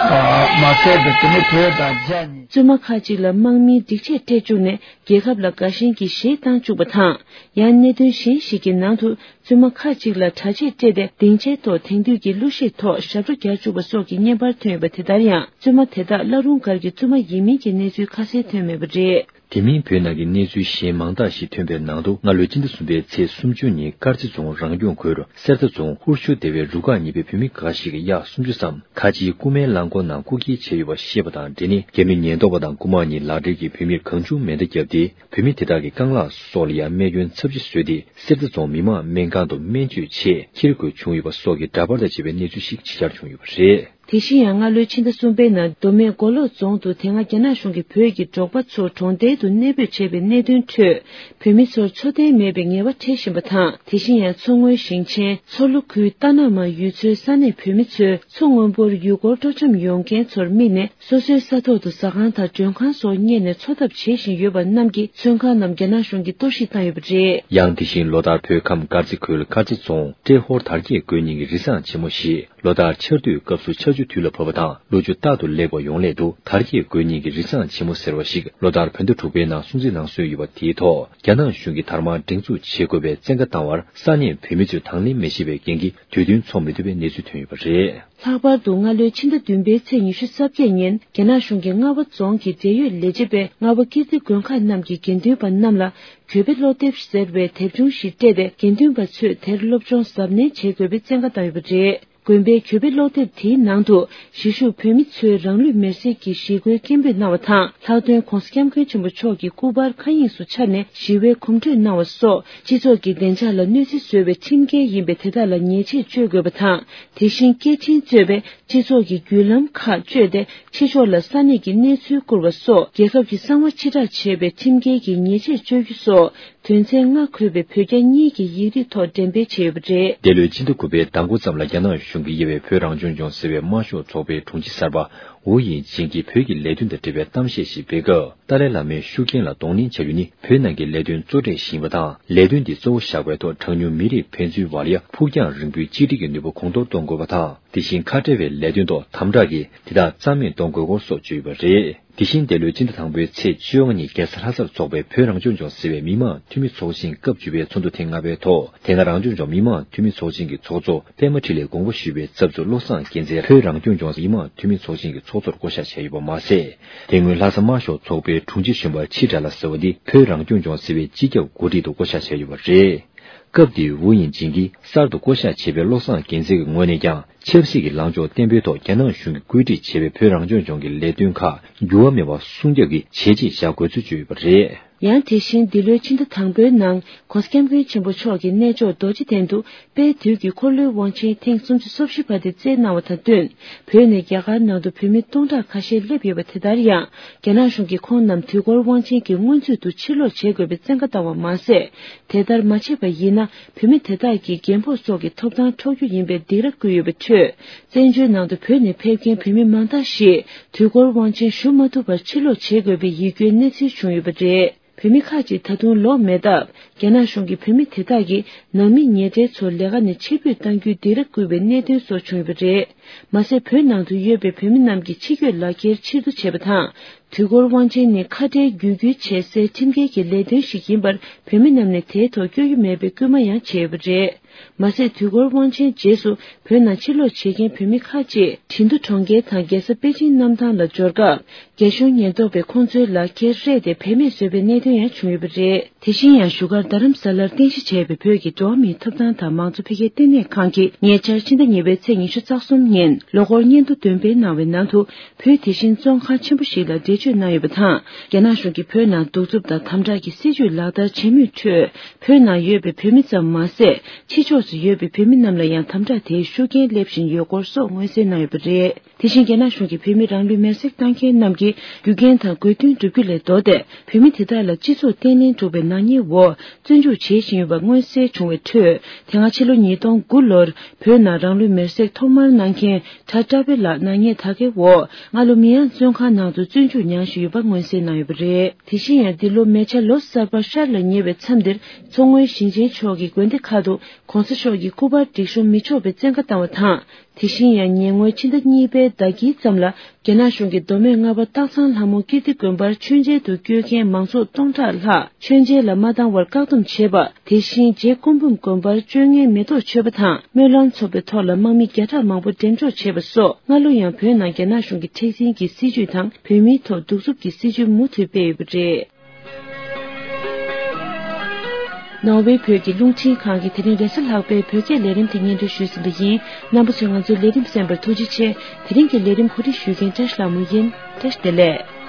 མ་ཟད་པའི་དེ་ནི་བོད་དང་རྒྱ་གཉིས། བཙུན་མ་ཁག་ཅིག་ལ་དམག་མིའི་སྒྲིག་ཆས་སྤྲད་བཅུག་ནས་རྒྱལ་ཁབ་ལ་དགའ་ཞེན་གྱི་གཞས་བཏང་བཅུག་པ་དང་། ཡང་གནད་དོན་གཞན་ཞིག་གི་ནང་དུ། བཙུན་མ་ཁག་ཅིག་ལ་གྲྭ་ཆས་སྤྲད་དེ་སྡིངས་ཆའི་ཐོག་དེང་དུས་ཀྱི་གླུ་གཞས་ཐོག་ཞབས་བྲོ་རྒྱག་བཅུག་པ་སོགས་ཀྱི་བརྙན་པར་ཐོན་ཡོད་པ་དེ་ལྟར་ཡང་། བཙུན་མ་དེ་དག་བླ་རུང་སྒར་གྱི་བཙུན་མ་ཡིན་མིན་གྱི་གནས་ཚུལ་ཁ་གསལ་ཐོན་མེད་པ་རེད། དེ་མིན་བོད་ནང་གི་གནས་ཚུལ་གཞན་མང་དག་ཞིག་ཐོན་པའི་ནང་དུ། སྔ་ལོའི་སྤྱི་ཟླ་གསུམ་པའི་ཚེས་སུམ་ཅུ་ཉིན་དཀར་མཛེས་རྫོང་རང་སྐྱོང་ཁུལ་གསེར་རྟ་རྫོང་ཧུར་ཤུ་སྡེ་བའི་རུ་ཁག་གཉིས་པའི་བུད་མེད་འགའ་ཞིག་གིས་གཡག་སུམ་ཅུ་ཙམ་ཁ་ཆེའི་ཀུ་མའི་རླངས་འཁོར་ནང་རྐུ་འཁྱེར་བྱས་ཡོད་པ་ཤེས་པ་དང་འབྲེལ་ནས། རྒྱ་མི་ཉེན་རྟོག་པ་དང་རྐུ་མ་གཉིས་ལག་སྦྲེལ་གྱིས་བུད་མེད་གང་བྱུང་མེ་མདའ་བརྒྱབ་སྟེ། བུད་མེད་དེ་དག་གི་རྐང་ལག་སོགས་ལ་ཡང་རྨས་སྐྱོན་ཚབས་ཆེ་བཟོས་ཏེ། གསེར་རྟ་རྫོང་མི་དམངས་སྨན་ཁང་དུ་སྨན་བཅོས་ཆེད་འཁྱེར་དགོས་བྱུང་ཡོད་པ་སོགས་ཀྱི་འདྲ་པར་དང་བཅས་པའི་གནས་ཚུལ་ཞིག་ཕྱི་གྱར་བྱུང་ཡོད་པ་རེད། དེ་བཞིན་ཡང་། སྔ་ལོའི་ཕྱི་ཟླ་གསུམ་པའི་ནང་། མདོ་སྨད་མགོ་ལོག་རྫོང་དུ་དེ་སྔ་རྒྱ་ནག་གཞུང་གིས་བོད་ཀྱི་འབྲོག་པ་ཚོ་གྲོང་རྡལ་དུ་གནས་སྤོས་བྱས་པའི་གནད་དོན་ཁྲོད། བོད་མི་ཚོར་འཚོ་རྟེན་མེད་པའི་ངལ་བ་འཕྲད་བཞིན་པ་དང་། དེ་བཞིན་ཡང་། མཚོ་སྔོན་ཞིང་ཆེན་མཚོ་ལྷོ་ཁུལ་རྟ་ནག་མ་ཡུལ་ཚོའི་ས་གནས་བོད་མི་ཚོས་མཚོ་སྔོན་པོར་ཡུལ་སྐོར་སྤྲོ་འཆམ་ཡོང་མཁན་ཚོར་དམིགས་ནས། སོ་སོའི་ས་ཐོག་ཏུ་ཟ་ཁང་དང་མགྲོན་ཁང་སོགས་གཉེར་ནས་འཚོ་ཐབས་བྱེད་བཞིན་ཡོད་པ་རྣམས་ཀྱི་ཚོན་ཁང་རྣམས་རྒྱ་ནག་གཞུང་གིས་གཏོར་བཤིག་བཏང་ཡོད་པ་རེད། ཡང་། དེ་བཞིན་ལོ་ལྟར་བོད་ཁམས་དཀར་མཛེས་ཁུལ་དཀར་མཛེས་རྫོང་ཏྲེ་ཧོར་དར་རྒྱས་དགོན་རྙིང་གི་རི་བསང་ཆེན་མོ་ཞེས། ལོ་ལྟར་ཆར་དུས་སྐབས་སུ་ཆར་ཆུ་དུས་ལ་བབས་པ་དང་། ལོ་ཆུ་རྟག་ཏུ་ལེགས་པ་ཡོང་སླད་དུ། དར་རྒྱས་དགོན་རྙིང་གི་རི་བསང་ཆེན་མོ་ཟེར་བ་ཞིག་ལོ་ལྟར་བོད་ཟླ་དྲུག་པའི་ནང་སྲུང་བརྩི་གནང་སྲོལ་ཡོད་པ། དེའི་ཐོག་རྒྱ་ནག་གཞུང་གིས་དར་དམར་སྒྲེང་འཛུགས་བྱེད་དགོས་པའི་བཙན་བཀའ་བཏང་བར། ས་གནས་བོད་མི་ཚོས་དང་ལེན་མི་བྱེད་པའི་རྐྱེན་གྱིས། དུས་བསྟུན་འཚོགས་མི་ཐུབ་པའི་གནས་ཚུལ་ཐོན་ཡོད་པ་རེད། ལྷག་པར་དུ། སྔ་ལོའི་ཕྱི་ཟླ་བདུན་པའི་ཚེས་ཉི་ཤུ་རྩ་བརྒྱད་ཉིན། རྒྱ་ནག་གཞུང་གིས་རྔ་བ་རྫོང་གི་འབྲེལ་ཡོད་ལས་བྱེད་པས། རྔ་བ་ཀིརྟི་དགོན་ཁག་རྣམས་ཀྱི་དགེ་འདུན་པ་རྣམས་ལ། གྱོད་དཔེ་ཀློག་དེབ་ཟེར་བའི་དེབ་ཆུང་ཞིག་སྤྲད་དེ། དགེ་འདུན་པ་ཚོས་དེར་སློབ་སྦྱོང་གཟབ་ནན་བྱེད་དགོས་པའི་བཙན་བཀའ་བཏང་ཡོད་པ་རེད། དགོན་པའི་གྱོད་དཔེ་ཀློག་དེབ་དེའི་ནང་དུ། གཞིས་བཞུགས་བོད་མི་ཚོས་རང་ལུས་མེར་སྲེག་གི་ཞི་རྒོལ་སྐད་འབོད་གནང་བ་དང་། ལྷག་དོན་༧གོང་ས་༧སྐྱབས་མགོན་ཆེན་པོ་མཆོག་གི་སྐུ་པར་མཁའ་དབྱིངས་སུ་འཕྱར་ནས་ཞི་བའི་གོམ་བགྲོད་གནང་བ་སོགས། སྤྱི་ཚོགས་ཀྱི་བདེ་འཇགས་ལ་གནོད་འཚེ་བཟོ་བའི་ཁྲིམས་འགལ་ཡིན་པས། དེ་དག་ལ་ཉེས་ཆད་གཅོད་དགོས་པ་དང་། དེ་བཞིན་སྐད་འཕྲིན་གཙོས་པའི་སྤྱི་ཚོགས་ཀྱི་བརྒྱུད་ལམ་ཁག་བཅད་དེ། ཕྱི་ཕྱོགས་ལ་ས་གནས་ཀྱི་གནས་ཚུལ་བསྐུར་བ་སོགས། རྒྱལ་ཁབ་ཀྱི་གསང་བ་ཕྱིར་བསྒྲགས་བྱས་པའི་ཁྲིམས་འགལ་གྱི་ཉེས་ཆད་གཅོད་རྒྱུ་སོགས། དོན་ཚན་ལྔ་འཁོད་པའི་བོད་རྒྱ་གཉིས་ཀྱི་ཡིག་རིགས་ཐོག་འགྲེམས་སྤེལ་བྱས་ཡོད་པ་རེད། འདས་ལོའི་སྤྱི་ཟླ་དགུ་པའི་ཟླ་འགོ་ཙམ་ལ། རྒྱ་ནག་གཞུང་གིས་དབྱེ་བའི་བོད་རང་སྐྱོང་ལྗོངས་ཟེར་བའི་དམར་ཤོག་ཚོགས་པའི་དྲུང་ཆེ་གསར་པ་ཝུའུ་དབྱིང་ཅིན་གྱིས་བོད་ཀྱི་ལས་དོན་དང་འབྲེལ་བའི་གཏམ་བཤད་ཞིག་སྤེལ་སྐབས། ཏཱ་ལའི་བླ་མའི་ཤུགས་རྐྱེན་ལ་གདོང་ལེན་བྱ་རྒྱུ་ནི། བོད་ནང་གི་ལས་དོན་གཙོ་གྲས་ཤིག་ཡིན་པ་དང་། ལས་དོན་འདི་གཙོ་བོ་བཞག་པའི་ཐོག་གྲངས་ཉུང་མི་རིགས་ཕན་ཚུན་བར་ཡང་ཕུགས་རྒྱང་རིང་པོའི་གཅིག་སྒྲིལ་གྱི་ནུས་པ་གོང་མཐོར་གཏོང་དགོས་པ་དང་། དེ་བཞིན་ཁ་བྲལ་བའི་ལས་དོན་ཐོག་དམ་དྲག་གིས་དེ་དག་རྩ་མེད་གཏོང་དགོས་སྐོར་སོགས་བརྗོད་ཡོད་པ་རེད། དེ་བཞིན་འདས་ལོའི་སྤྱི་ཟླ་དང་པོའི་ཚེས་བཅོ་ལྔ་ཉིན་རྒྱལ་ས་ལྷ་སར་འཚོགས་པའི་བོད་རང་སྐྱོང་ལྗོངས་ཟེར་བའི་མི་དམངས་འཐུས་མི་ཚོགས་ཆེན་སྐབས་བཅུ་པའི་ཚོགས་འདུ་ཐེངས་ལྔ་པའི་ཐོག་དེ་སྔ་རང་སྐྱོང་ལྗོངས་མི་དམངས་འཐུས་མི་ཚོགས་ཆེན་གྱི་ཚོགས་གཙོ་པད་མ་འཕྲིན་ལས་དགོངས་པ་ཞུས་པའི་ཚབ་ཏུ། བློ་བཟང་རྒྱལ་མཚན་བོད་རང་སྐྱོང་ལྗོངས་མི་དམངས་འཐུས་མི་ཚོགས་ཆེན་གྱི་ཚོགས་གཙོར་བསྐོ་གཞག་བྱས་ཡོད་པ་མ་ཟད། དེ་སྔོན་ལྷ་ས་དམར་ཤོག་ཚོགས་པའི་དྲུང་ཆེ་གཞོན་པ་ཆི་དྲ་ལ་ཟེར་བ་འདི། བོད་རང་སྐྱོང་ལྗོངས་ཟེར་བའི་སྤྱི་ཁྱབ་འགོ་ཁྲིད་དུ་བསྐོ་གཞག་བྱས་ཡོད་པ་རེད། སྐབས་དེའི་ཝུའུ་དབྱིང་ཅིན་གྱིས་གསར་དུ་བསྐོ་གཞག་བྱས་པའི་བློ་བཟང་རྒྱལ་མཚན་གྱི་ངོས་ནས་ཀྱང་། ཆབ་སྲིད་ཀྱི་ལངས་ཕྱོགས་བརྟན་པོའི་ཐོག་རྒྱ་ནག་གཞུང་གིས་བཀོད་སྒྲིག་བྱས་པའི་བོད་རང་སྐྱོང་ལྗོངས་ཀྱི་ལས་དོན་ཁག་འགྱུར་བ་མེད་པར་སྲུང་སྐྱོབ་ཀྱི་བྱས་རྗེས་བཞག་དགོས་ཚུལ་བརྗོད་ཡོད་པ་རེད། ཡང་། དེ་བཞིན་འདི་ལོའི་ཕྱི་ཟླ་དང་པོའི་ནང་། ྋགོང་ས་ྋསྐྱབས་མགོན་ཆེན་པོ་མཆོག་གིས་གནས་མཆོག་རྡོ་རྗེ་གདན་དུ་དཔལ་དུས་ཀྱི་འཁོར་ལོའི་དབང་ཆེན་ཐེངས་སུམ་ཅུ་སོ་བཞི་པ་དེ་སྩལ་གནང་བ་དང་བསྟུན། བོད་ནས་རྒྱ་གར་ནང་དུ་བོད་མི་སྟོང་ཕྲག་ཁ་ཤས་སླེབས་ཡོད་པ་དེ་ལྟར་ཡང་། རྒྱ་ནག་གཞུང་གིས་ཁོང་རྣམས་དུས་འཁོར་དབང་ཆེན་གྱི་སྔོན་ཚུད་དུ་ཕྱིར་ལོག་བྱེད་དགོས་པའི་བཙན་བཀའ་བཏང་བ་མ་ཟད། དེ་ལྟར་མ་བྱས་པ་ཡིན་ན། བོད་མི་དེ་དག་གིས་རྒན་ཕོགས་སོགས་ཀྱི་ཐོབ་ཐང་འཕྲོག་རྒྱུ་ཡིན་པའི་སྡིགས་ར་བསྐུལ་ཡོད་པའི་ཁྲོད། བཙན་བྱོལ་ནང་དུ་བོད་ནས་ཕེབས་མཁན་བོད་མི་མང་དག་ཞིག་དུས་འཁོར་དབང་ཆེན་ཞུ་མ་ཐུབ་པར་ཕྱིར་ལོག་བྱེད་དགོས་པའི་ཡིད་སྐྱོའི་གནས་ཚུལ་བྱུང་ཡོད་པ་རེད། བོད་མི་ཁག་ཅིག་ད་དུང་ལོག་མེད་སྟབས། རྒྱ་ནག་གཞུང་གིས་བོད་མི་དེ་དག་གི་ནང་མི་ཉེ་གྲས་ཚོ་ལས་ཀ་ནས་ཕྱིར་འབུད་གཏང་རྒྱུའི་སྡིགས་ར་བསྐུལ་བའི་གནད་དོན་སོགས་བྱུང་ཡོད་པ་རེད། མ་ཟད། བོད་ནང་དུ་ཡོད་པའི་བོད་མི་རྣམས་ཀྱི་ཕྱི་སྐྱོད་ལག་འཁྱེར་ཕྱིར་བསྡུ་བྱས་པ་དང་། དུས་འཁོར་དབང་ཆེན་ནི་ཁ་བྲལ་རྒྱུད་སྐུལ་བྱེད་སའི་ཁྲིམས་འགལ་གྱི་ལས་དོན་ཞིག་ཡིན་པར། བོད་མི་རྣམས་ནས་དེའི་ཐོག་སྐྱོན་ཡོད་མེད་པའི་སྐུལ་མ་ཡང་བྱས་ཡོད་པ་རེད། མ་ཟད། དུས་འཁོར་དབང་ཆེན་རྗེས་སུ་བོད་ནང་ཕྱིར་ལོག་བྱེད་མཁན་བོད་མི་ཁག་ཅིག་ཁྲིན་ཏུ་གྲོང་ཁྱེར་དང་རྒྱལ་ས་པེ་ཅིན་གནམ་ཐང་ལ་འབྱོར་སྐབས། རྒྱ་གཞུང་ཉེན་རྟོག་པས་ཁོང་ཚོའི་ལག་འཁྱེར་རེད་དེ་བེད་མེད་བཟོས་པའི་གནད་དོན་ཡང་བྱུང་ཡོད་པ་རེད། དེ་བཞིན་ཡང་། བཞུགས་སྒར་རྡ་རམ་ས་ལར་རྟེན་གཞི་བྱས་པའི་བོད་ཀྱི་འགྲོ་བ་མིའི་ཐོབ་ཐང་དང་མང་གཙོ་འཕེལ་རྒྱས་ལྟེ་གནས་ཁང་གིས་ཉེ་ཆར་ཕྱི་ཟླ་གཉིས་པའི་ཚེས་ཉི་ཤུ་རྩ་གསུམ་ཉིན་ལོ་འཁོར་སྙན་ཐོ་འདོན་སྤེལ་གནང་བའི་ནང་དུ། བོད་དེ་བཞིན་བཙོན་ཁང་ཆེན་པོ་ཞིག་ལ་འགྲེལ་བརྗོད་གནང་ཡོད་པ་དང་། རྒྱ་ནག་གཞུང་གིས་བོད་ནང་གདུག་རྩུབ་དང་དམ་དྲག་གི་སྲིད་བྱུས་ལག་བསྟར་བྱེད་མུས་ཁྲོད། བོད་ནང་ཡོད་པའི་བོད་མི་ཙམ་མ་ཟད། ཕྱི་ཕྱོགས་སུ་ཡོད་པའི་བོད་མི་རྣམས་ལ་ཡང་དམ་དྲག་དེའི་ཤུགས་རྐྱེན་སླེབས་བཞིན་ཡོད་སྐོར་སོགས་མངོན་གསལ་གནང་ཡོད་པ་རེད། དེ་བཞིན། རྒྱ་ནག་གཞུང་གིས་བོད་མི་རང་ལུས་མེར་སྲེག་བཏང་མཁན་རྣམས་ཀྱི་རྒྱུ་རྐྱེན་དང་དགོས་འདུན་བསྒྲུབ་རྒྱུ་ལས་ལྡོག་སྟེ། བོད་མི་དེ་དག་ལ་སྤྱི་ཚོགས་བརྟན་ལྷིང་དཀྲུག་པའི་ནག་ཉེས་འོག་བཙོན་འཇུག་བྱེད་བཞིན་ཡོད་པ་མངོན་གསལ་བྱུང་བའི་ཁྲོད། དེ་སྔ་ཕྱི་ལོ་ཉིས་སྟོང་དགུ་ལོར་བོད་ནང་རང་ལུས་མེར་སྲེག་ཐོག་མར་གནང་མཁན་གྲྭ་བཀྲ་བྷེ་ལགས་ནག་ཉེས་ད་གའི་འོག་སྔ་ལོ་མི་ཡང་བཙོན་ཁང་ནང་དུ་བཙོན་འཇུག་མྱངས་བཞིན་ཡོད་པ་མངོན་གསལ་གནང་ཡོད་པ་རེད། དེ་བཞིན་ཡང་འདི་ལོ་མེ་བྱ་ལོ་གསར་པ་ཤར་ལ་ཉེ་བའི་མཚམས་འདིར་མཚོ་སྔོན་ཞིང་ཆེན་ཕྱོགས་ཀྱི་དགོན་སྡེ་ཁག་ཏུ་༸གོང་ས་མཆོག་གི་སྐུ་པར་སྒྲིག་གཤོམ་མི་ཆོག་པའི་བཙན་བཀའ་བཏང་བ་དང་། དེ་བཞིན་ཡང་ཉེ་སྔོན་ཕྱི་ཟླ་གཉིས་པའི་ཟླ་དཀྱིལ་ཙམ་ལ་རྒྱ་ནག་གཞུང་གིས་མདོ་སྨད་རྔ་བ་སྟག་ཚང་ལྷ་མོ་ཀིརྟི་དགོན་པར་མཆོད་མཇལ་དུ་བསྐྱོད་མཁན་མང་ཚོགས་སྟོང་ཕྲག་ལྷག་མཆོད་མཇལ་ལ་མ་བཏང་བར་བཀག་སྡོམ་བྱས་པ། དེ་བཞིན་རྗེ་སྐུ་འབུམ་དགོན་པར་བཅོ་ལྔའི་མེ་ཏོག་མཆོད་པ་དང་སྨོན་ལམ་འཚོགས་པའི་ཐོག་ལ་དམག་མི་བརྒྱ་ཕྲག་མང་པོ་འགྲེམས་འཇོག་བྱས་པ་སོགས་སྔ་ལོ་ཡང་བོད་ནང་རྒྱ་ནག་གཞུང་གི་མཁྲེགས་འཛིན་གྱི་སྲིད་བྱུས་དང་བོད་མིའི་ཐོག་གདུག་རྩུབ་ཀྱི་སྲིད་བྱུས་མུ་མཐུད་སྤེལ་ཡོད་པ་རེད། ནོར་ཝེ་བོད་ཀྱི་རླུང་འཕྲིན་ཁང་གིས་དེ་རིང་རེས་གཟའ་ལྷག་པའི་བོད་སྐད་ལས་རིམ་དེ་སྙན་སྒྲོན་ཞུས་ཟིན་པ་ཡིན། རྣམ་པ་ཚོས་ང་ཚོའི་ལས་རིམ་གསན་པར་ཐུགས་རྗེ་ཆེ། དེ་རིང་གི་ལས་རིམ་གོ་སྒྲིག་ཞུ་མཁན་བཀྲ་ཤིས་ལྷ་མོ་ཡིན། བཀྲ་ཤིས་བདེ་ལེགས།